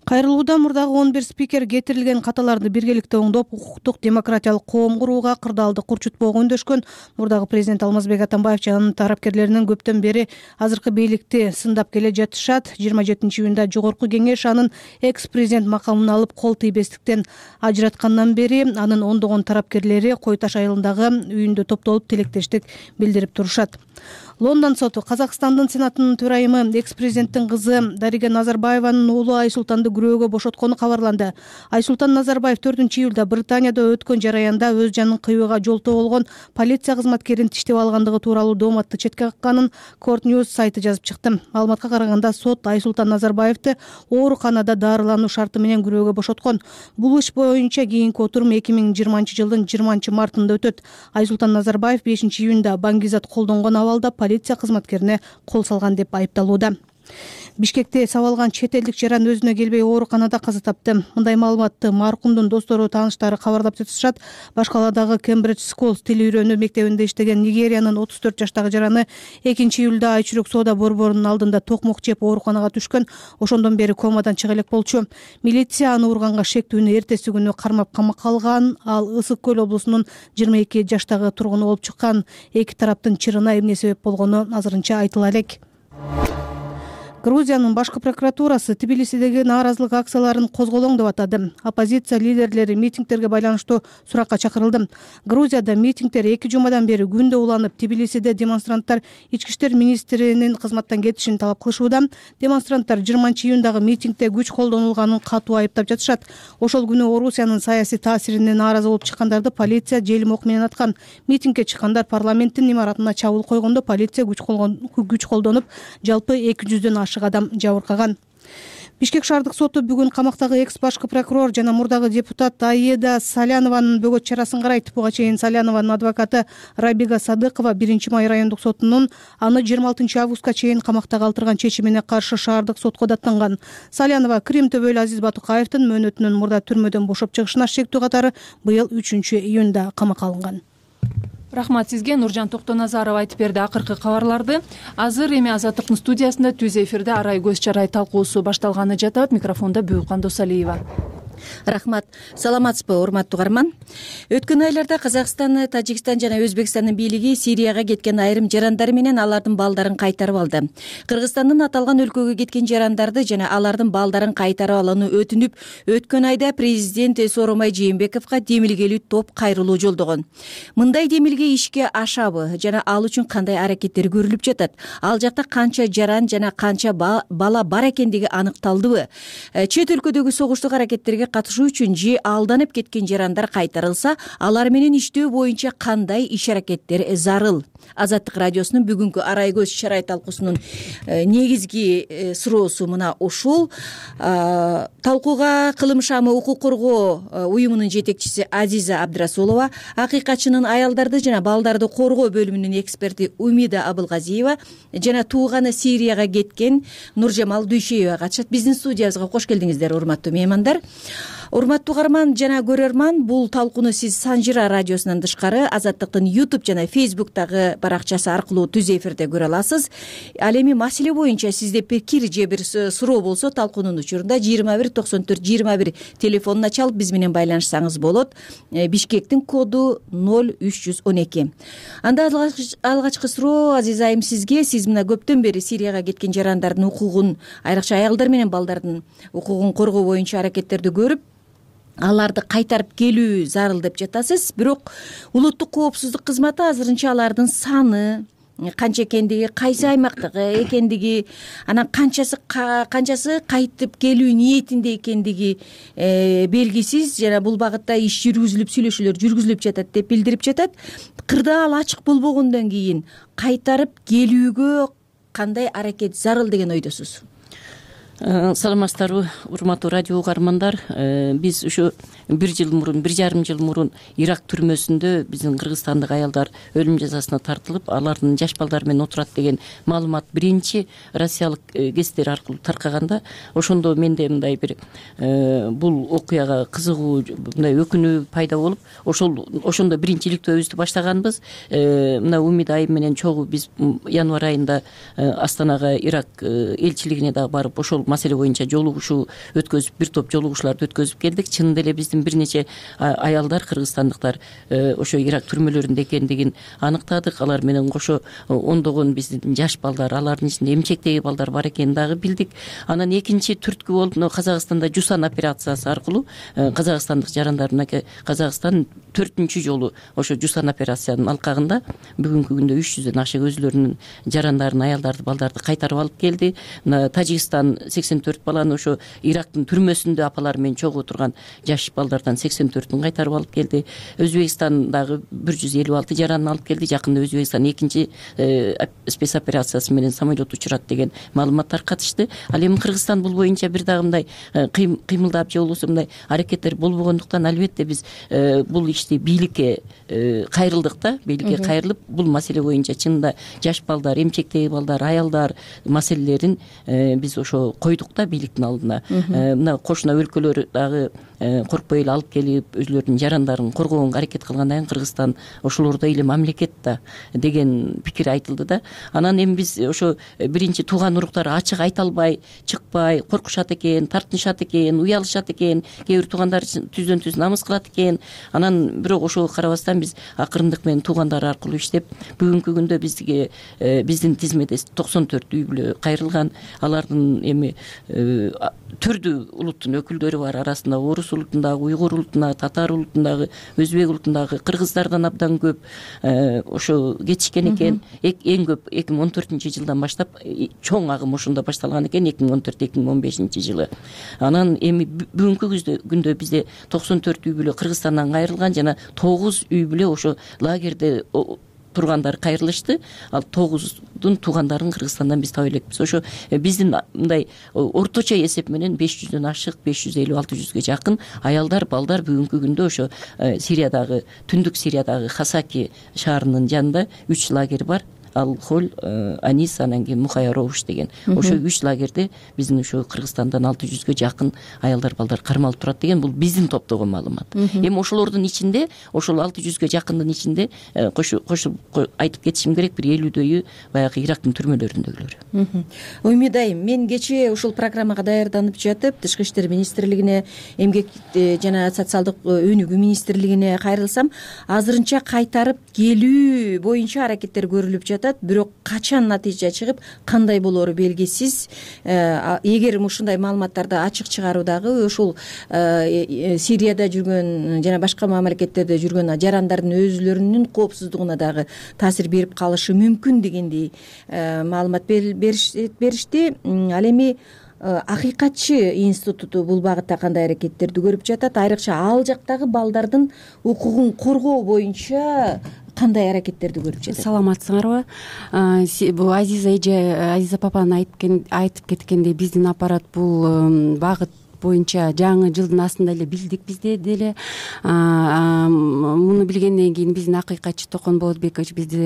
Кайрылууда мурдагы 11 спикер кетирилген каталарды биргеликте оңдоп, укуктук демократиялык коом курууга кырдаалды курчутпоого үндөшкөн. Мурдагы президент Алмазбек Атамбаев жана анын тарапкерлеринин көптөн бери азыркы бийликти сындап келе жатышат. 27-июнда жогорку кеңеш анын экс-президент макамын алып кол тийбестиктен ажыраткандан бери анын ондогон тарапкерлери Кой Таш айылындагы үйүндө топтолуп тилектештик билдирип турушат. Лондон соту Казакстандын сенатынын төрайымы экс-президенттин кызы Дарига Назарбаеванын уулу Айсултанды күрөөгө бошоткону кабарланды. Айсултан Назарбаев 4-июлда Британияда өткөн жараянда өз жанын кыюуга жолтоо болгон полиция кызматкерин тиштеп алгандыгы тууралуу дооматты четке какканын Court News сайты жазып чыкты. Маалыматка караганда сот Айсултан Назарбаевди ооруканада дарылануу шарты менен күрөөгө бошоткон. Бул иш боюнча кийинки отурум 2020-жылдын 20-мартында өтөт. Айсултан Назарбаев 5-июнда Баңгизат колдонгон абалда полиция кызматкерине кол салган деп айыпталууда. Бишкекте сабалган чет элдик жаран өзүнө келбей ооруканада каза тапты. Мындай маалыматты маркумдун достору, тааныштары кабарлап жатышат. Башкаладагы Кембридж Schools тил үйрөнүү мектебинде иштеген Нигериянын 34 жаштагы жараны 2-июлда айчүрөк соода борборунун алдында токмок жеп ооруканага түшкөн. Ошондон бери комадан чыга элек болчу. Милиция аны урганга шектүүнү эртеси күнү кармап камакка алган. Ал Ысык Көл облусунун 22 жаштагы тургуну болуп чыккан. Эки тараптын чырына эмне себеп болгону азырынча айтыла элек. Грузиянын башкы прокуратурасы Тбилисидеги нааразылык акцияларын козголоң деп атады. Оппозиция лидерлери митингтерге байланыштуу суракка чакырылды. Грузияда митингтер 2 жумадан бери күндө уланып, Тбилисиде демонстранттар ички иштер министринин кызматтан кетишин талап кылышууда. Демонстранттар 20-июндагы митингде күч колдонулганын катуу айыптап жатышат. Ошол күнү Орусиянын саясий таасирине нааразы болуп чыккандарды полиция желим ок менен аткан. Митингге чыккандар парламенттин имаратына чабуул койгондо полиция күч колдонуп, жалпы 200дөн адам жабыркаган. Бишкек шаардык соту бүгүн камактагы экс башкы прокурор жана мурдагы депутат Аида Салянованын бөгөт чарасын карайт. Буга чейин Салянованын адвокаты Рабига Садыкова 1-май райондук сотунун аны 26 августка чейин камакта калтырган чечимине каршы шаардык сотко даттанган. Салянова Крим төбөлү Азиз Батукаевдин мөөнөтүнүн мурда түрмөдөн бошоп чыгышына шектүү катары быйыл 3-июнда камакка алынган. Рахмат сизге. Нуржан Токтоназарова айтып берди акыркы кабарларды. Азыр эми Азаттыктын студиясында түз эфирде арай көз чарай талкуусу башталганы жатат. Микрофондо Бүйүкан Досалиева. Рахмат. Саламатсызбы, урматтуу угарман. Өткөн айларда Казакстан, Тажикстан жана Өзбекстандын бийлиги Сирияга кеткен айрым жарандар менен алардын балдарын кайтарып алды. Кыргызстандын аталган өлкөгө кеткен жарандарды жана алардын балдарын кайтарып алууну өтүнүп, өткөн айда президент Сооронбай Жээнбековго демилгелүү топ кайрылуу жолдогон. Мындай демилге ишке ашабы жана ал үчүн кандай аракеттер көрүлүп жатат? Ал жакта канча жаран жана канча бала бар экендиги аныкталдыбы? Чет өлкөдөгү согуштук аракеттерге катышуу үчүн же алданып кеткен жарандар кайтарылса, алар менен иштөө боюнча кандай иш аракеттер зарыл? Азаттык радиосунун бүгүнкү арай көз чарай талкуусунун негизги суроосу мына ушул. Талкууга Кылым шамы укук коргоо уюмунун жетекчиси Азиза Абдрасулова, акыйкатчынын аялдарды жана балдарды коргоо бөлүмүнүн эксперти Умида Абылгазиева жана тууганы Сирияга кеткен Нуржамал Дүйшөева катышат. Биздин студиябызга кош келдиңиздер, урматтуу меймандар. Урматтуу угарман жана көрөрман, бул талкууну сиз Санжира радиосунан тышкары Азаттыктын YouTube жана Facebook'тагы баракчасы аркылуу түз эфирде көрө аласыз. Ал эми маселе боюнча сизде пикир же бир суроо болсо талкуунун учурунда 21 94 21 телефонуна чалып биз менен байланышсаңыз болот. Бишкектин коду 0312. Анда алгачкы суроо Азиза айым сизге. Сиз мына көптөн бери Сирияга кеткен жарандардын укугун, айрыкча аялдар менен балдардын укугун коргоо боюнча аракеттерди көрүп, аларды кайтарып келүү зарыл деп жатасыз. Бирок улуттук коопсуздук кызматы азырынча алардын саны канча экендиги, кайсы аймактагы экендиги, анан канчасы кайтып келүү ниетинде экендиги белгисиз. Жана бул багытта иш жүргүзүлүп, сүйлөшүүлөр жүргүзүлүп жатат деп билдирип жатат. Кырдаал ачык болбогондон кийин кайтарып келүүгө кандай аракет зарыл деген ойдосуз? Саламатсыздарбы, урматтуу радио угармандар. Биз ушу 1,5 жыл мурун Ирак түрмөсүндө биздин кыргызстандык аялдар өлүм жазасына тартылып, алардын жаш балдары менен отурат деген маалымат биринчи россиялык гезиттер аркылуу таркаганда, ошондо менде мындай бир бул окуяга кызыгуу, мындай өкүнүү пайда болуп, ошондо биринчиликтөө өзүбүздү баштаганбыз. Мына Умида айым менен чогуу биз январь айында Астанага Ирак элчилигине дагы барып, ошол маселе боюнча жолугушуу өткөзүп, бир топ жолугушууларды өткөзүп келдик. Чынында эле биздин бир нече аялдар, кыргызстандыктар ошо Ирак түрмөлөрүндө экендигин аныктадык. Алар менен кошо ондогон биздин жаш балдар, алардын ичинде эмчектеги балдар бар экенин дагы билдик. Анан экинчи түрткү болуп, Казакстанда Жусан операциясы аркылуу казакстандык жарандар, мынакей Казакстан 4-чү жолу ошо Жусан операциянын алкагында бүгүнкү күндө 300дөн ашык өзүлөрүнүн жарандарын, аялдарды, балдарды кайтарып алып келди. Тажикстан 84 баланы ошо Ирактын түрмөсүндө апалар менен чогуу турган жаш балдардан 84-ün кайтарып алып келди. Өзбекстан дагы 156 жаранын алып келди. Жакында Өзбекстан экинчи спец операциясы менен самолет учурат деген маалымат таркатышты. Ал эми Кыргызстан бул боюнча бир дагы мындай кыймылдап же болбосо мындай аракеттер болбогондуктан, албетте биз бул ишти бийликке кайрылдык да. Бийликке кайрылып, бул маселе боюнча чынында жаш балдар, эмчектеги балдар, аялдар маселелерин биз ошо койдук да бийликтин алдына. Мына кошуна өлкөлөр дагы коркпой эле алып келип, өзүлөрүнүн жарандарын коргоого аракет кылгандан кийин Кыргызстан ошолордой эле мамлекет да деген пикир айтылды да. Анан эми биз ошо биринчи тууган уруктар ачык айта албай, чыкпай, коркушат экен, тартынышат экен, уялышат экен, кээ бир туугандар түздөн түз намыс кылат экен. Анан бирок ошого карабастан биз акырындык менен туугандар аркылуу иштеп, бүгүнкү күндө бизге биздин тизмеде 94 үй бүлө кайрылган. Алардын эми түрдүү улуттун өкүлдөрү бар. Арасында орус улутундагы, уйгур улутундагы, татар улутундагы, өзбек улутундагы, кыргыздардан абдан көп ошо кетишкен экен. Эң көп 2014-жылдан баштап чоң агым ошондо башталган экен, 2014-2015-жылы. Анан эми бүгүнкү күндө бизде 94 үй бүлө Кыргызстандан кайрылган жана 9 үй бүлө ошо лагерде тургандар кайрылышты. Ал 9-дун туугандарын Кыргызстандан биз таба элекпиз. Ошо биздин мындай орточо эсеп менен 500дөн ашык, 550-600ге жакын аялдар, балдар бүгүнкү күндө ошо Сириядагы, түндүк Сириядагы Хасаки шаарынын жанында 3 лагерь бар. Ал-Холь, Анис, анан кийин Мухаяровуш деген. Ошо 3 лагерде биздин ошо Кыргызстандан 600ге жакын аялдар, балдар кармалып турат деген бул биздин топтогон маалымат. Эми ошолордун ичинде, ошол 600ге жакындын ичинде кошуп айтып кетишим керек, бир 50дөйү баягы Ирактын түрмөлөрүндөгүлөр. Умида айым, мен кечээ ушул программага даярданып жатып, Тышкы иштер министрлигине, эмгек жана социалдык өнүгүү министрлигине кайрылсам, азырынча кайтарып келүү боюнча аракеттер көрүлүп жатат. Бирок качан натыйжа чыгып, кандай болору белгисиз. Эгер ушундай маалыматтарды ачык чыгаруудагы ушул Сирияда жүргөн жана башка мамлекеттерде жүргөн жарандардын өзүлөрүнүн коопсуздугуна дагы таасир берип калышы мүмкүн дегендей маалымат беришти. Ал эми Акыйкатчы институту бул багытта кандай аракеттерди көрүп жатат? Айрыкча ал жактагы балдардын укугун коргоо боюнча кандай аракеттерди көрүп жатат? Саламатсыңарбы? Бул Азиза эже, Азиза папанын айтып кеткендей, биздин аппарат бул багыт боюнча жаңы жылдын астында эле билдик бизде деле. Муну билгенден кийин биздин акыйкатчы Токон Болотбекович бизди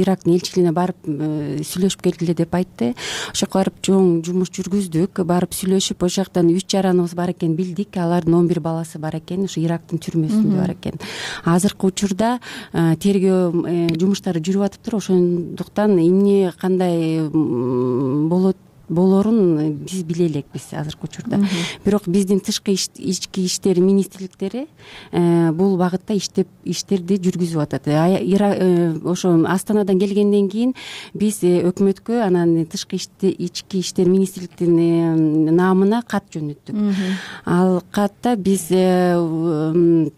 Ирактын элчилигине барып сүйлөшүп келгиле деп айтты. Ошол жака барып чоң жумуш жүргүздүк, барып сүйлөшүп, ошол жактан 3 жараныбыз бар экен билдик. Алардын 11 баласы бар экен, ошо Ирактын түрмөсүндө бар экен. Азыркы учурда тергөө жумуштары жүрүп атыптыр. Ошондуктан эмне кандай болорун биз биле элекпиз азыркы учурда. Бирок биздин ички иштер министрликтери бул багытта иштерди жүргүзүп атат. Ошо Астанадан келгенден кийин биз өкмөткө анан ички иштер министрликтин наамына кат жөнөттүк. Ал катта биздин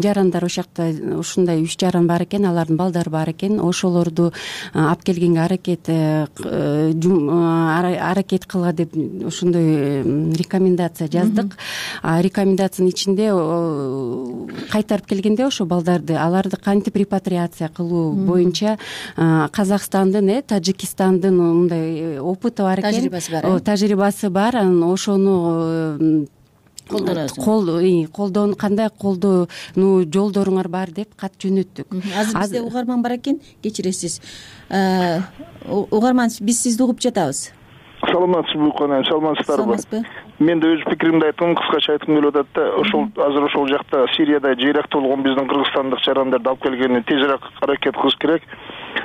жарандар ошол жакта ушундай 3 жаран бар экен, алардын балдары бар экен. Ошолорду алып келгенге аракет кылга деп ошондой рекомендация жаздык. Рекомендациянын ичинде кайтарып келгенде ошо балдарды, аларды кантип репатриация кылуу боюнча Казакстандын, Тажикстандын мындай опыты бар экен, тажрыйбасы бар. Анан ошону кандай колдонуу жолдоруңар бар деп кат жөнөттүк. Азыр бизде угарман бар экен, кечиресиз. Угарман, биз сизди угуп жатабыз. Саламатсызбы, Укан, саламатсыздарбы? Мен да өз пикиримди айткым, кыскача айткым келип атат да, азыр ошол жакта Сирияда жыйракта болгон биздин кыргызстандык жарандарды алып келгени тезирээк аракет кылыш керек.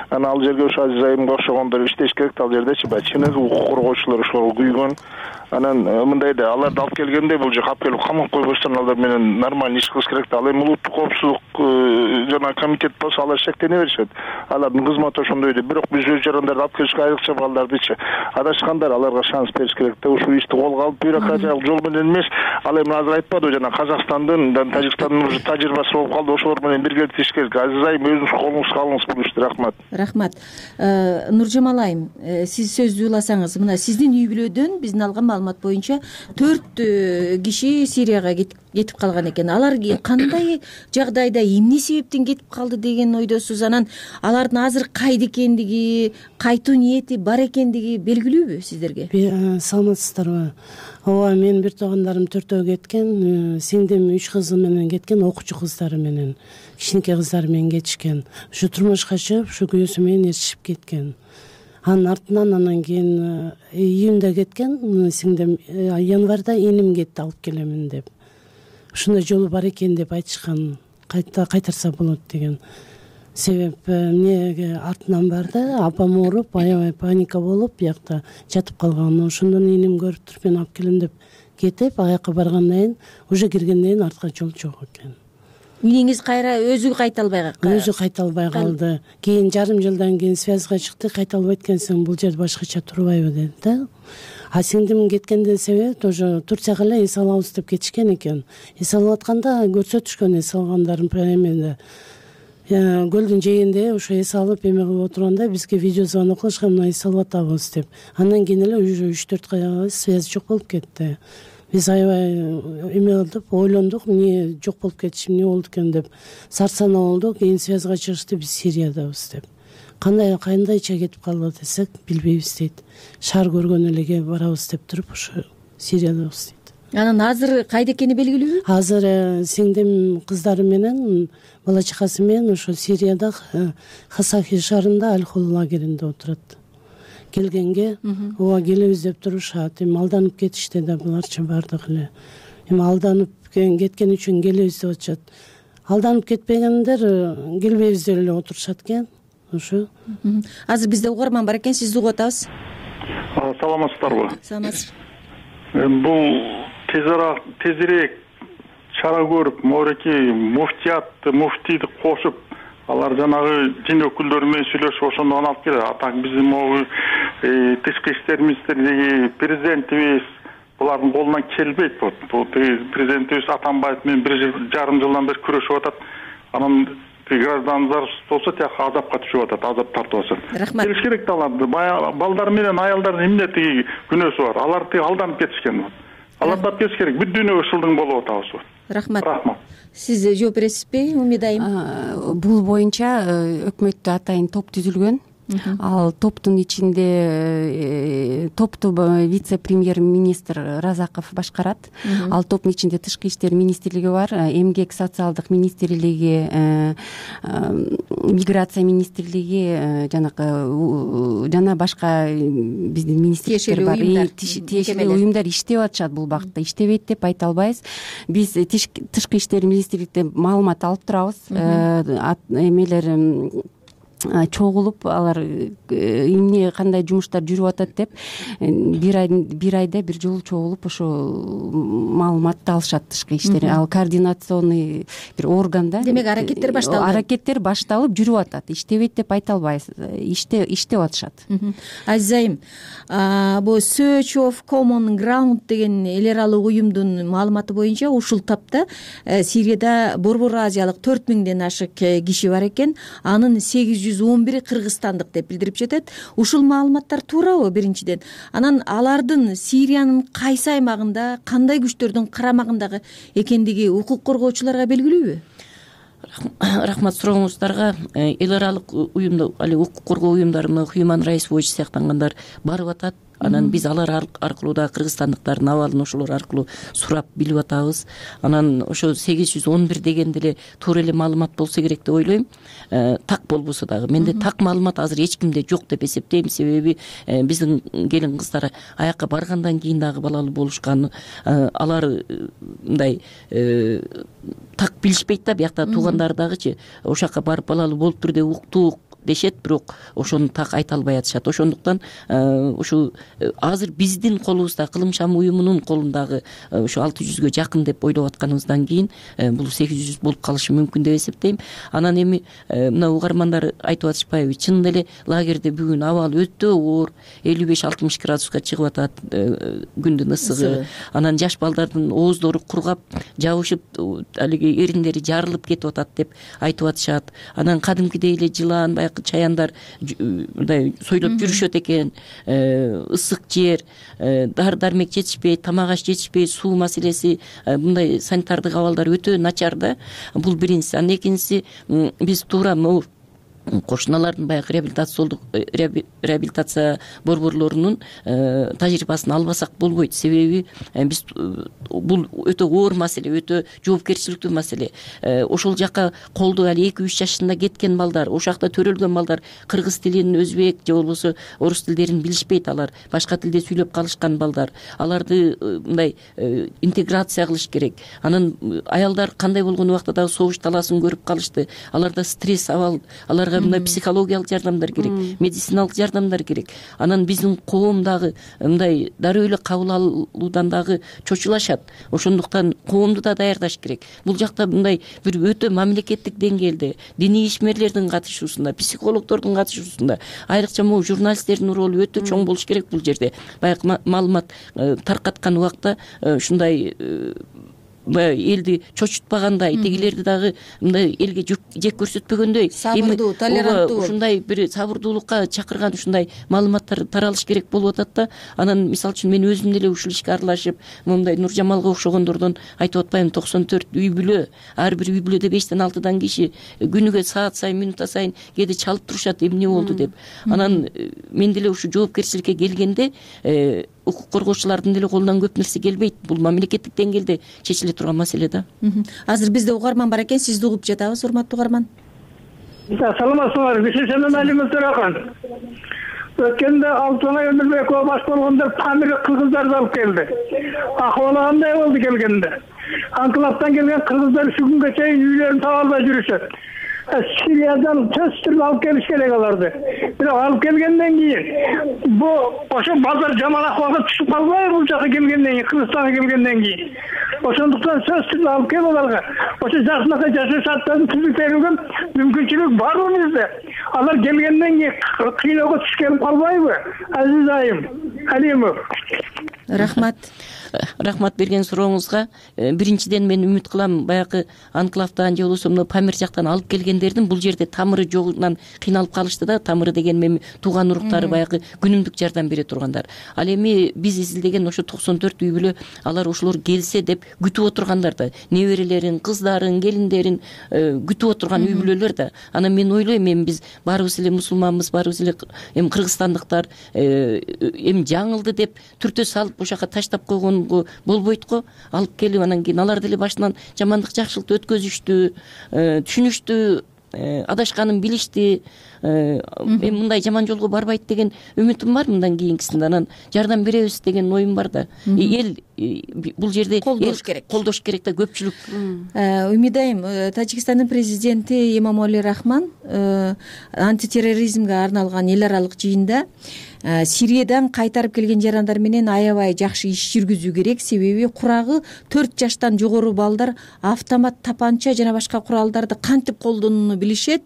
Анан ал жерге ошо Азиз айымга окшогондор иштеш керек да, ал жердечи баягы чыныгы укук коргоочулар ошолорго күйгөн. Анан мындай да, аларды алып келгенде бул жака алып келип камап койбостон алар менен нормалдуу иш кылыш керек да. Ал эми улуттук коопсуздук жана комитет болсо алар шектене беришет. Алардын кызматы ошондой да, бирок биз өз жарандарды алып келишке айрыкча балдардычы адашкандар, аларга шанс бериш керек да. Ушул ишти колго алып бюрократиялык жол менен эмес, ал эми азыр айтпадыбы, жана Казакстандын, Тажикстандын уже тажрыйбасы болуп калды, ошолор менен биргеликте иштеш керек. Азиз айым, өзүңүз колуңузга алыңыз бул ишти. Рахмат. Рахмат. Нуржамал айым, сиз сөздү уласаңыз, мына сиздин үй бүлөдөн биздин алган маалымат боюнча 4 киши Сирияга кетип калган экен. Алар кандай жагдайда, эмне себептен кетип калды деген ойдосуз? Анан алардын азыр кайда экендиги, кайтуу ниети бар экендиги белгилүүбү сиздерге? Саламатсыздарбы? Ооба, менин бир туугандарым 4 кеткен, сиңдим 3 кызы менен кеткен, окуучу кыздары менен, кичинекей кыздары менен кетишкен. Ушу турмушка чыгып, ушу күйөөсү менен ээрчишип кеткен. Анын артынан анан кийин июнда кеткен, сиңдим январда иним кетти алып келемин деп. Ушундай жолу бар экен деп айтышкан, кайтарса болот деген. Себеп эмнеге артынан барды, апам ооруп, аябай паника болуп, биякта жатып калган. Ошондон иним көрүп туруп мен алып келем деп кетип, аяка баргандан кийин, уже киргенден кийин артка жол жок экен. Иниңиз кайра өзү кайта албай калды? Өзү кайта албай калды. Кийин жарым жылдан кийин связга чыкты, кайта албайт экенсиң, бул жерде башкача турбайбы деди да. А сиңдим кеткенден себеби тоже Турцияга эле эс алабыз деп кетишкен экен. Эс алып атканда көрсөтүшкөн эс алгандарын эмеде. Көлдүн жээгинде ошо эс алып эме кылып отурганда бизге видео звонок кылышкан, мына эс алып атабыз деп. Андан кийин эле уже 3-4 связь жок болуп кетти. Биз аябай эме кылдык, ойлондук, эмне жок болуп кетиши, эмне болду экен деп. Сарсана болдук, кийин связга чыгышты, биз Сириядабыз деп. Кандайча кетип калды десек, билбейбиз дейт. Шаар көргөн элеге барабыз деп туруп, ошо Сириядабыз дейт. Анан азыр кайда экени белгилүүбү? Азыр сиңдим кыздары менен, бала чакасы менен ошо Сирияда Хасахи шаарында Аль-Хол лагеринде отурат. Келгенге, ооба келебиз деп турушат. Эми алданып кетишти да буларчы бардыгы эле. Эми алданып кеткен үчүн келебиз деп атышат. Алданып кетпегендер келбейбиз деп эле отурушат экен. Ошо. Азыр бизде угарман бар экен, сизди угуп атабыз. Саламатсыздарбы? Саламатсыз. Бул тезирээк чара көрүп, мореки муфтийди кошуп, алар жанагы дин өкүлдөрү менен сүйлөшүп ошондон алып келет. Атаң биздин могу тышкы иштер министрлиги, президентибиз булардын колунан келбейт. Бул президентибиз Атамбаев менен 1,5 жылдан бери күрөшүп атат. Анан граждандар болсо тияка азапка түшүп атат, азап тартып атат. Рахмат. Келиш керек да аларды. Балдар менен аялдардын эмне тиги күнөөсү бар. Алар алданып кетишкен. Аларды алып кетиш керек. Бүт дүйнөгө шылдың болуп атабыз. Рахмат. Сиз жооп бересизби Умид айым? Бул боюнча өкмөттө атайын топ түзүлгөн. Ал топтун ичинде топту вице-премьер-министр Разаков башкарат. Ал топтун ичинде Тышкы иштер министрлиги бар, Эмгек социалдык министрлиги, миграция министрлиги жана башка биздин министрликтер бар. Тиешелүү уюмдар иштеп атышат бул багытта. Иштебейт деп айта албайбыз. Биз Тышкы иштер министрликтен маалымат алып турабыз. Эмелер чогулуп алар эмне кандай жумуштар жүрүп атат деп бир айда бир жолу чогулуп ошо маалыматты алышат Тышкы иштер. Ал координационный бир орган да. Демек аракеттер башталды. Аракеттер башталып жүрүп атат. Иштебейт деп айта албайбыз. Иштеп атышат. Азиз айым, бул Search of Common Ground деген эл аралык уюмдун маалыматы боюнча ушул тапта Сирияда Борбор Азиялык 4000ден ашык киши бар экен. Анын 811 кыргызстандык деп билдирип жатат. Ушул маалыматтар туурабы биринчиден? Анан алардын Сириянын кайсы аймагында, кандай күчтөрдүн карамагындагы экендиги укук коргоочуларга белгилүүбү? Рахмат сурооңуздарга. Эл аралык уюмда али укук коргоо уюмдары, Human Rights Watch сыяктангандар барып атат. Анан биз алар аркылуу да кыргызстандыктардын абалын ошолор аркылуу сурап билип атабыз. Анан ошо 811 дегенде эле туура эле маалымат болсо керек деп ойлойм. Так болбосо дагы. Менде так маалымат азыр эч кимде жок деп эсептейм. Себеби биздин келин кыздар аякка баргандан кийин дагы балалуу болушкан. Алар мындай так билишпейт да, биякта туугандары дагычы ошол жака барып балалуу болуптур деп уктук дешет, бирок ошону так айта албай атышат. Ошондуктан ушу азыр биздин колубузда, Кылым Шам уюмунун колундагы ушу 600гө жакын деп ойлоп атканыбыздан кийин бул 800 болуп калышы мүмкүн деп эсептейм. Анан эми мына угармандар айтып атышпайбы, чын эле лагерде бүгүн абал өтө оор, 55-60 градуска чыгып атат күндүн ысыгы. Анан жаш балдардын ооздору кургап, жабышып, алиги эриндери жарылып кетип атат деп айтып атышат. Анан кадимкидей эле жылан, чаяндар мындай сойлоп жүрүшөт экен. Ысык жер, дары дармек жетишпей, тамак аш жетишпей, суу маселеси, мындай санитардык абалдар өтө начар да. Бул биринчиси. Анан экинчиси, биз туура могу кошуналардын баягы реабилитация борборлорунун тажрыйбасын албасак болбойт. Себеби биз бул өтө оор маселе, өтө жоопкерчиликтүү маселе. Ошол жака колду али 2-3 жашында кеткен балдар, ошол жакта төрөлгөн балдар кыргыз тилин, өзбек же болбосо орус тилдерин билишпейт. Алар башка тилде сүйлөп калышкан балдар. Аларды мындай интеграция кылыш керек. Анан аялдар кандай болгон убакта дагы согуш талаасын көрүп калышты. Аларда стресс абал, аларга мындай психологиялык жардамдар керек, медициналык жардамдар керек. Анан биздин коом дагы мындай дароо эле кабыл алуудан дагы чочулашат. Ошондуктан коомду да даярдаш керек. Бул жакта мындай бир өтө мамлекеттик деңгээлде диний ишмерлердин катышуусунда, психологдордун катышуусунда, айрыкча могу журналисттердин ролу өтө чоң болуш керек бул жерде. Баягы маалымат таркаткан убакта ушундай элди чочутпагандай, тегилерди дагы мындай элге жек көрсөтпөгөндөй, сабырдуу, толеранттуу, ушундай бир сабырдуулукка чакырган ушундай маалыматтар таралыш керек болуп атат да. Анан мисалы үчүн мен өзүм деле ушул ишке аралашып, мындай Нуржамалга окшогондордон айтып атпаймынбы, 94 үй бүлө, ар бир үй бүлөдө 5-6 киши күнүгө саат сайын, минута сайын кээде чалып турушат, эмне болду деп. Анан мен деле ушу жоопкерчиликке келгенде укук коргоочулардын деле колунан көп нерсе келбейт. Бул мамлекеттик деңгээлде чечиле турган маселе да. Азыр бизде угарман бар экен, сизди угуп жатабыз, урматтуу угарман. Саламатсызбы, Бишешенен Алимов Төрахан. Өткөндө Алтынай Өмүрбекова баш болгондор тамир кыргыздарды алып келди. Акыбалы кандай болду келгенде? Анклавдан келген кыргыздар ушул күнгө чейин үйлөрүн таба албай жүрүшөт. Сириядан төз түрүп алып келиш керек аларды. Бирок алып келгенден кийин бу ошо базар жаман акыбалга түшүп калбайбы бул жака келгенден кийин, Кыргызстанга келгенден кийин? Ошондуктан сөз түрүп алып келип аларга ошо жакшынакай жашоо шарттарын түзүп берилген мүмкүнчүлүк барбы бизде? Алар келгенден кийин кыйноого түшүп келип калбайбы? Азиз айым Алимов. Рахмат. рахмат берген сурооңузга. Биринчиден мен үмүт кылам, баягы анклавдан же болбосо мына Памир жактан алып келгендердин бул жерде тамыры жогунан кыйналып калышты да. Тамыры деген эми тууган уруктары баягы күнүмдүк жардам бере тургандар. Ал эми биз изилдеген ошо 94 үй бүлө алар ошолор келсе деп күтүп отургандар да. Неберелерин, кыздарын, келиндерин күтүп отурган үй бүлөлөр да. Анан мен ойлойм, эми биз баарыбыз эле мусулманбыз, баарыбыз эле эми кыргызстандыктар эми жаңылды деп түртө салып ошол жака таштап койгонго болбойт го. Алып келип анан кийин алар деле башынан жамандык жакшылыкты өткөзүштү, түшүнүштү, адашканын билишти. Эми мындай жаман жолго барбайт деген үмүтүм бар мындан кийинкисинде. Анан жардам беребиз деген оюм бар да. Эл бул жерде колдош керек да, көпчүлүк. Үмүт айым, Тажикстандын президенти Эмомали Рахмон антитерроризмге арналган эл аралык жыйында Сириядан кайтарып келген жарандар менен аябай жакшы иш жүргүзүү керек, себеби курагы 4 жаштан жогору балдар автомат тапанча жана башка куралдарды кантип колдонууну билишет.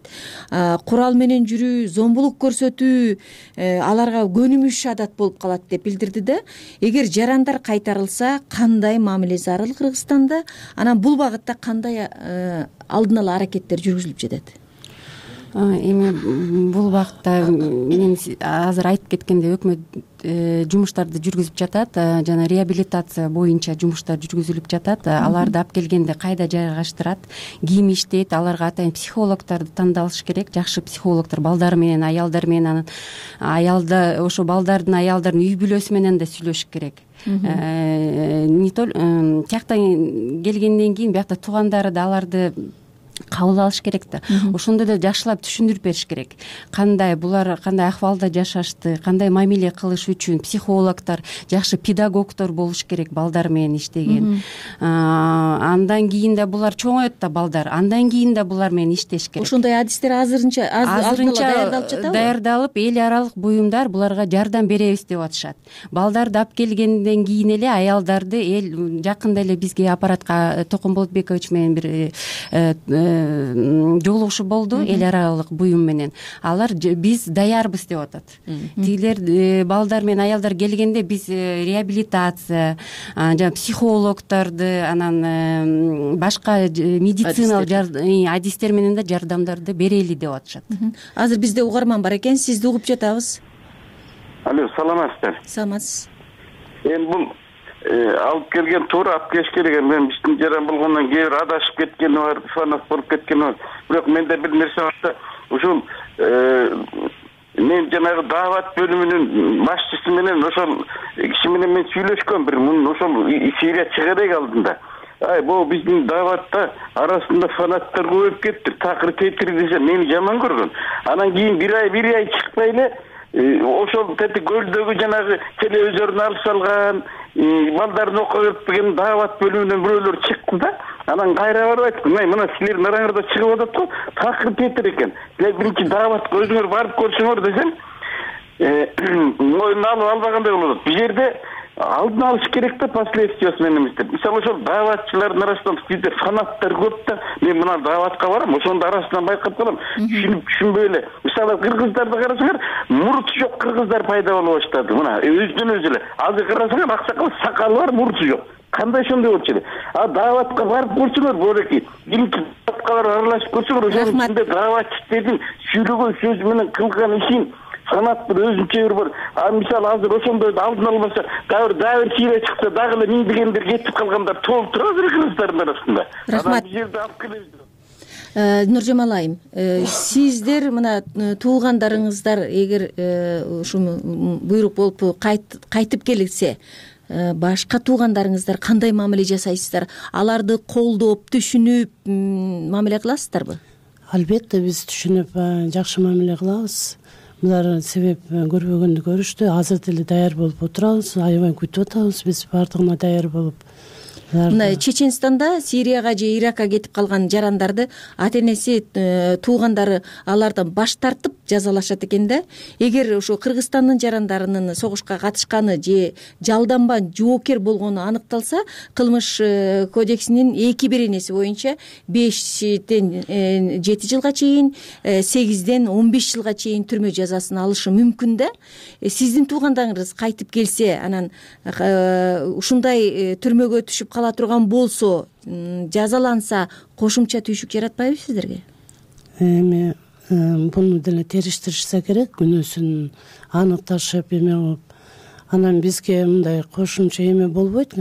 Курал менен жүрүү, зомбулук көрсөтүү аларга көнүмүш адат болуп калат деп билдирди да. Эгер жарандар кайтарылса, кандай мамиле зарыл Кыргызстанда? Анан бул багытта кандай алдын ала аракеттер жүргүзүлүп жатат? Эми бул багытта мен азыр айтып кеткендей өкмөт жумуштарды жүргүзүп жатат, жана реабилитация боюнча жумуштар жүргүзүлүп жатат. Аларды алып келгенде кайда жайгаштырат, ким иштейт, аларга атайын психологдорду тандалыш керек, жакшы психологдор, балдар менен, аялдар менен, анан аялда ошо балдардын, аялдардын үй бүлөсү менен да сүйлөшүш керек. Тияктан келгенден кийин биякта туугандары да аларды кабыл алыш керек да. Ошондо да жакшылап түшүндүрүп бериш керек. Кандай булар кандай акыбалда жашашты, кандай мамиле кылыш үчүн психологдор, жакшы педагогдор болуш керек балдар менен иштеген. Андан кийин да булар чоңоет да балдар. Андан кийин да булар менен иштеш керек. Ошондой адистер азырынча даярдалып жатабы? Даярдалып, эл аралык буюмдар буларга жардам беребиз деп атышат. Балдарды алып келгенден кийин эле аялдарды эл жакында эле бизге аппаратка Токон Болотбекович менен бир жолугушуу болду эл аралык буюм менен. Алар биз даярбыз деп атат. Тигилер балдар менен аялдар келгенде биз реабилитация, жана психологдорду, анан башка медициналык адистер менен да жардамдарды берели деп атышат. Азыр бизде угарман бар экен, сизди угуп жатабыз. Алло, саламатсыздар? Саламатсыз. Эми бул алып келген туура алып келиш керек. Мен биздин жаран болгондон кээ бир адашып кеткени бар, фанат болуп кеткени бар. Бирок менде бир нерсе бар да, ушул мен жанагы даават бөлүмүнүн башчысы менен ошол киши менен мен сүйлөшкөм, бир мун ошол Сирия чыгарек алдында. Бул биздин дааватта арасында фанаттар көбөйүп кетти. Такыр тетир десе мени жаман көргөн. Анан кийин бир ай чыкпай эле ошол көлдөгү жанагы телевизорун алып салган, балдарын окуя берген даават бөлүмүнөн бирөөлөр чыкты да. Анан кайра барып айттым, мына силердин араңарда чыгып атат го, такыр тетир экен. Силер биринчи дааватка өзүңөр барып көрсөңөр десем, моюнуна алып албагандай болот. Бул жерде алдын алыш керек да, последствиясы менен эмес. Мисалы ошол дааватчылардын арасынан бизде фанаттар көп да. Мен мына дааватка барам, ошондун арасынан байкап калам. Түшүнбөй эле. Мисалы кыргыздарды карасаңар, муруту жок кыргыздар пайда боло баштады. Мына өзүнөн өзү эле. Азыр карасаңар, аксакал сакалы бар, муруту жок. Кандай ошондой болчу эле. Дааватка барып көрсөңөр, боолеки. Биринчи дааватка барып аралашып көрсөңөр, ошонун ичинде дааватчылардын сүйлөгөн сөзү менен кылган ишин фанат бир өзүнчө бир бар. Мисалы азыр ошондойду алдын албаса, дагы бир Сирия чыкса, дагы эле миңдегендер кетип калгандар толуп турат кыргыздардын арасында. Рахмат. Бул жерде алып келебиз. Нуржамал айым, сиздер мына туугандарыңыздар эгер ушул буйрук болуп кайтып келсе, башка туугандарыңыздар кандай мамиле жасайсыздар? Аларды колдоп, түшүнүп мамиле кыласыздарбы? Албетте биз түшүнүп жакшы мамиле кылабыз. Булар себеп көрбөгөндү көрүштү. Азыр деле даяр болуп отурабыз, аябай күтүп атабыз биз бардыгына даяр болуп. Мына Чеченстанда Сирияга же Иракка кетип калган жарандарды ата энеси, туугандары алардан баш тартып, жазалашат экен да. Эгер ошо Кыргызстандын жарандарынын согушка катышканы же жалданба жоокер болгону аныкталса, кылмыш кодексинин 2-беренеси боюнча 5-тен 7 жылга чейин, 8-ден 15 жылга чейин түрмө жазасын алышы мүмкүн да. Сиздин туугандарыңыз кайтып келсе, анан ушундай түрмөгө түшүп кала турган болсо, жазаланса, кошумча түйшүк жаратпайбы сиздерге? Эми буну деле териштиришсе керек, күнөөсүн аныкташып эме кылып, анан бизге мындай кошумча эме болбойт.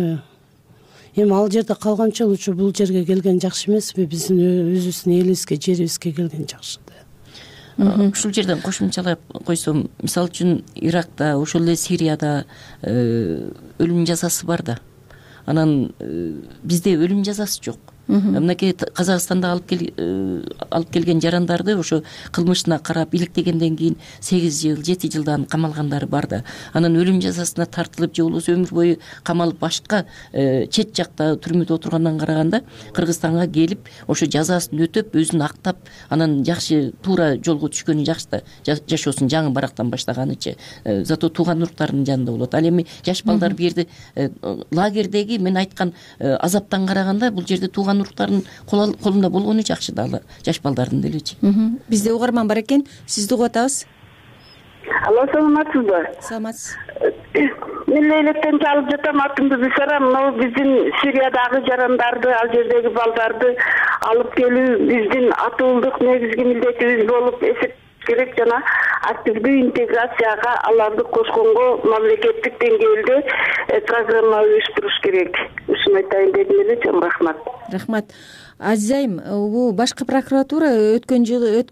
Эми ал жерде калганча лучше бул жерге келген жакшы эмеспи? Биздин өзүбүздүн элибизге, жерибизге келген жакшы да. Ушул жерден кошумчалап койсом, мисалы үчүн Иракта, ошол эле Сирияда өлүм жазасы бар да. Анан бизде өлүм жазасы жок. Мынакей Казакстанда алып келген жарандарды ошо кылмышына карап иликтегенден кийин 8 жыл, 7 жылдан камалгандары бар да. Анан өлүм жазасына тартылып же болбосо өмүр бою камалып башка чет жакта түрмөдө отургандан караганда Кыргызстанга келип ошо жазасын өтөп, өзүн актап, анан жакшы туура жолго түшкөнү жакшы да. Жашоосун жаңы барактан баштаганычы. Зато тууган уруктарынын жанында болот. Ал эми жаш балдар бу жерде лагердеги мен айткан азаптан караганда бул жерде тууган уруктардын колунда болгону жакшы да, жаш балдардын делечи. Бизде угарман бар экен, сизди угуп атабыз. Алло, саламатсызбы? Саламатсыз. Мен электен чалып жатам, атымды Бисара. Мына биздин Сириядагы жарандарды, ал жердеги балдарды алып келүү биздин атуулдук негизги милдетибиз болуп эсептелет керек. Жана активдүү интеграцияга аларды кошконго мамлекеттик деңгээлде программа уюштуруш керек. Ушуну айтайын дедим эле. Чоң рахмат. Рахмат. Азиз айым, бул башкы прокуратура өткөн жылы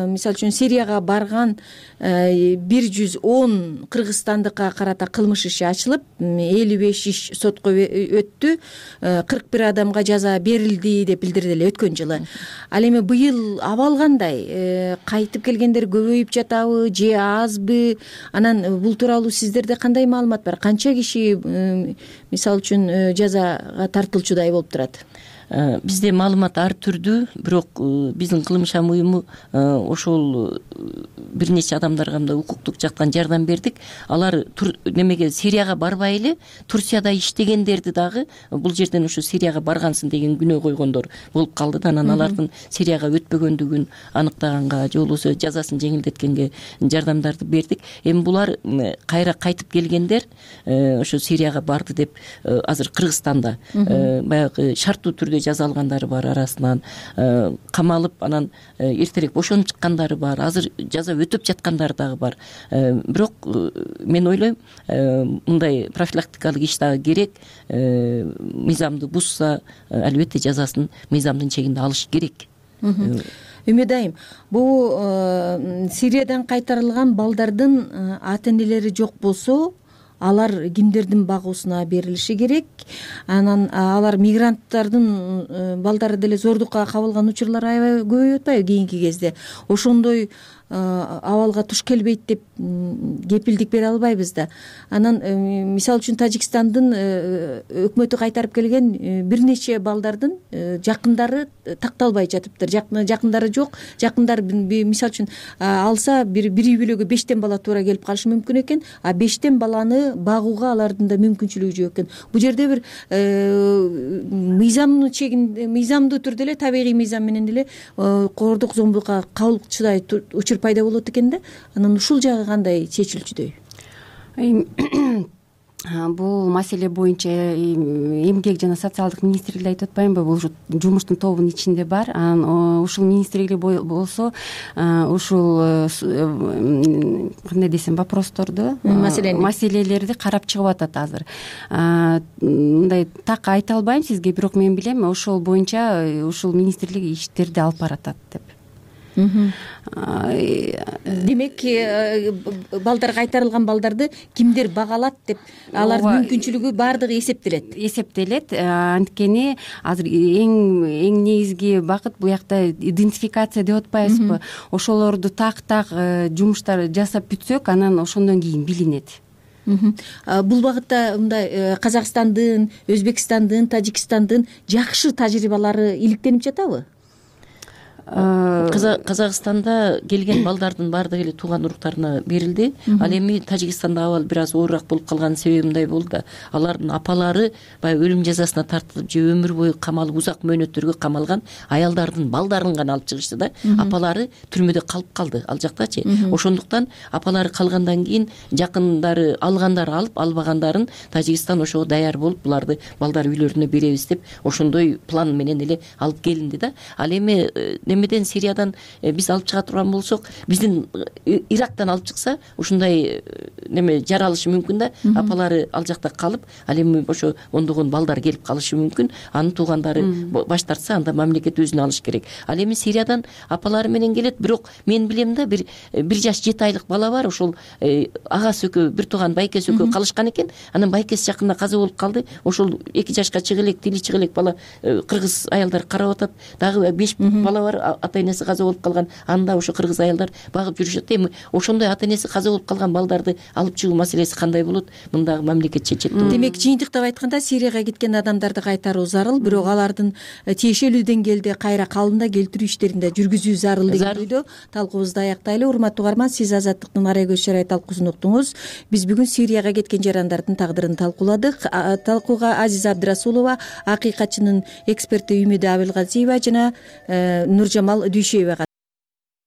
мисалы үчүн Сирияга барган 110 кыргызстандыкка карата кылмыш иши ачылып, 55 иш сотко өттү, 41 адамга жаза берилди деп билдирди эле өткөн жылы. Ал эми быйыл абал кандай? Кайтып келгендер көбөйүп жатабы же азбы? Анан бул тууралуу сиздерде кандай маалымат бар? Канча киши мисалы үчүн жазага тартылчудай болуп турат? Бизде маалымат ар түрдүү, бирок биздин кылмыш уюму ошол бир нече адамдарга мындай укуктук жактан жардам бердик. Алар немеге Сирияга барбай эле Турцияда иштегендерди дагы бул жерден ошо Сирияга баргансың деген күнөө койгондор болуп калды да. Анан алардын Сирияга өтпөгөндүгүн аныктаганга же болбосо жазасын жеңилдеткенге жардамдарды бердик. Эми булар кайра кайтып келгендер ошо Сирияга барды деп азыр Кыргызстанда баягы шарттуу түрдө жаза алгандары бар, арасынан камалып, анан эртерээк бошонуп чыккандары бар, азыр жаза өтөп жаткандары дагы бар. Бирок мен ойлойм, мындай профилактикалык иш дагы керек. Мыйзамды бузса, албетте жазасын мыйзамдын чегинде алыш керек. Үмүт айым, бул Сириядан кайтарылган балдардын ата энелери жок болсо, алар кимдердин багуусуна берилиши керек? Анан алар мигранттардын балдары деле зордукка кабылган учурлар аябай көбөйүп атпайбы кийинки кезде? Ошондой абалга туш келбейт деп кепилдик бере албайбыз да. Анан мисалы үчүн Тажикстандын өкмөтү кайтарып келген бир нече балдардын жакындары такталбай жатыптыр. Жакындары жок. Жакындар мисалы үчүн алса бир үй бүлөгө 5 бала туура келип калышы мүмкүн экен, а 5 баланы багууга алардын да мүмкүнчүлүгү жок экен. Бул жерде бир мыйзамдуу түрдө эле, табигый мыйзам менен эле коордук зомбулукка кабылчудай учур пайда болот экен да. Анан ушул жагы кандай чечилчүдөй? Бул маселе боюнча эмгек жана социалдык министрликти айтып атпаймынбы? Бул жумуштун тобунун ичинде бар. Анан ушул министрлик болсо ушул кандай десем вопросторду, маселелерди карап чыгып атат азыр. Мындай так айта албайм сизге, бирок мен билем ошол боюнча ушул министрлик иштерди алып баратат деп. Демек, балдар кайтарылган балдарды кимдер багалат деп, алардын мүмкүнчүлүгү баардыгы эсептелет. Анткени азыр эң негизги багыт бул жакта идентификация деп атпайбызбы? Ошолорду так жумуштар жасап бүтсөк, анан ошондон кийин билинет. Бул багытта мындай Казакстандын, Өзбекстандын, Тажикстандын жакшы тажрыйбалары иликтенип жатабы? Казакстанда келген балдардын баардыгы эле тууган уруктарына берилди. Ал эми Тажикстанда абал бир аз оорураак болуп калганын себеби мындай болду да, алардын апалары баягы өлүм жазасына тартылып же өмүр бою камалып узак мөөнөттөргө камалган аялдардын балдарын гана алып чыгышты да. Апалары түрмөдө калып калды ал жактачы. Ошондуктан апалары калгандан кийин жакындары алгандары алып, албагандарын Тажикстан ошого даяр болуп, буларды балдар үйлөрүнө беребиз деп ошондой план менен эле алып келинди да. Ал эми немеден, Сириядан биз алып чыга турган болсок, биздин Ирактан алып чыкса ушундай неме жаралышы мүмкүн да. Апалары ал жакта калып, ал эми ошо ондогон балдар келип калышы мүмкүн. Анын туугандары баш тартса, анда мамлекет өзүнө алыш керек. Ал эми Сириядан апалары менен келет, бирок мен билем да, бир жаш 7 айлык бала бар. Ошол агасы экөө, бир тууган байкеси экөө калышкан экен. Анан байкеси жакында каза болуп калды. Ошол 2 жашка чыга элек, тили чыга элек бала кыргыз аялдар карап атат. Дагы 5 бала бар, ата-энеси каза болуп калган. Анда ошо кыргыз аялдар багып жүрүшөт. Эми ошондой ата-энеси каза болуп калган балдарды алып чыгуу маселеси кандай болот? Мындагы мамлекет чечет. Демек, жыйынтыктап айтканда, Сирияга кеткен адамдарды кайтаруу зарыл, бирок алардын тиешелүү деңгээлде кайра калыбына келтирүү иштерин да жүргүзүү зарыл деген ойдо талкуубузду аяктайлы. Урматтуу угарман, сиз Азаттыктын Ара көз чарай талкуусун уктуңуз. Биз бүгүн Сирияга кеткен жарандардын тагдырын талкууладык. Талкууга Азиза Абдрасулова, акыйкатчынын эксперти Үмүдү Абылгазиева жана Нуржамал Дүйшөева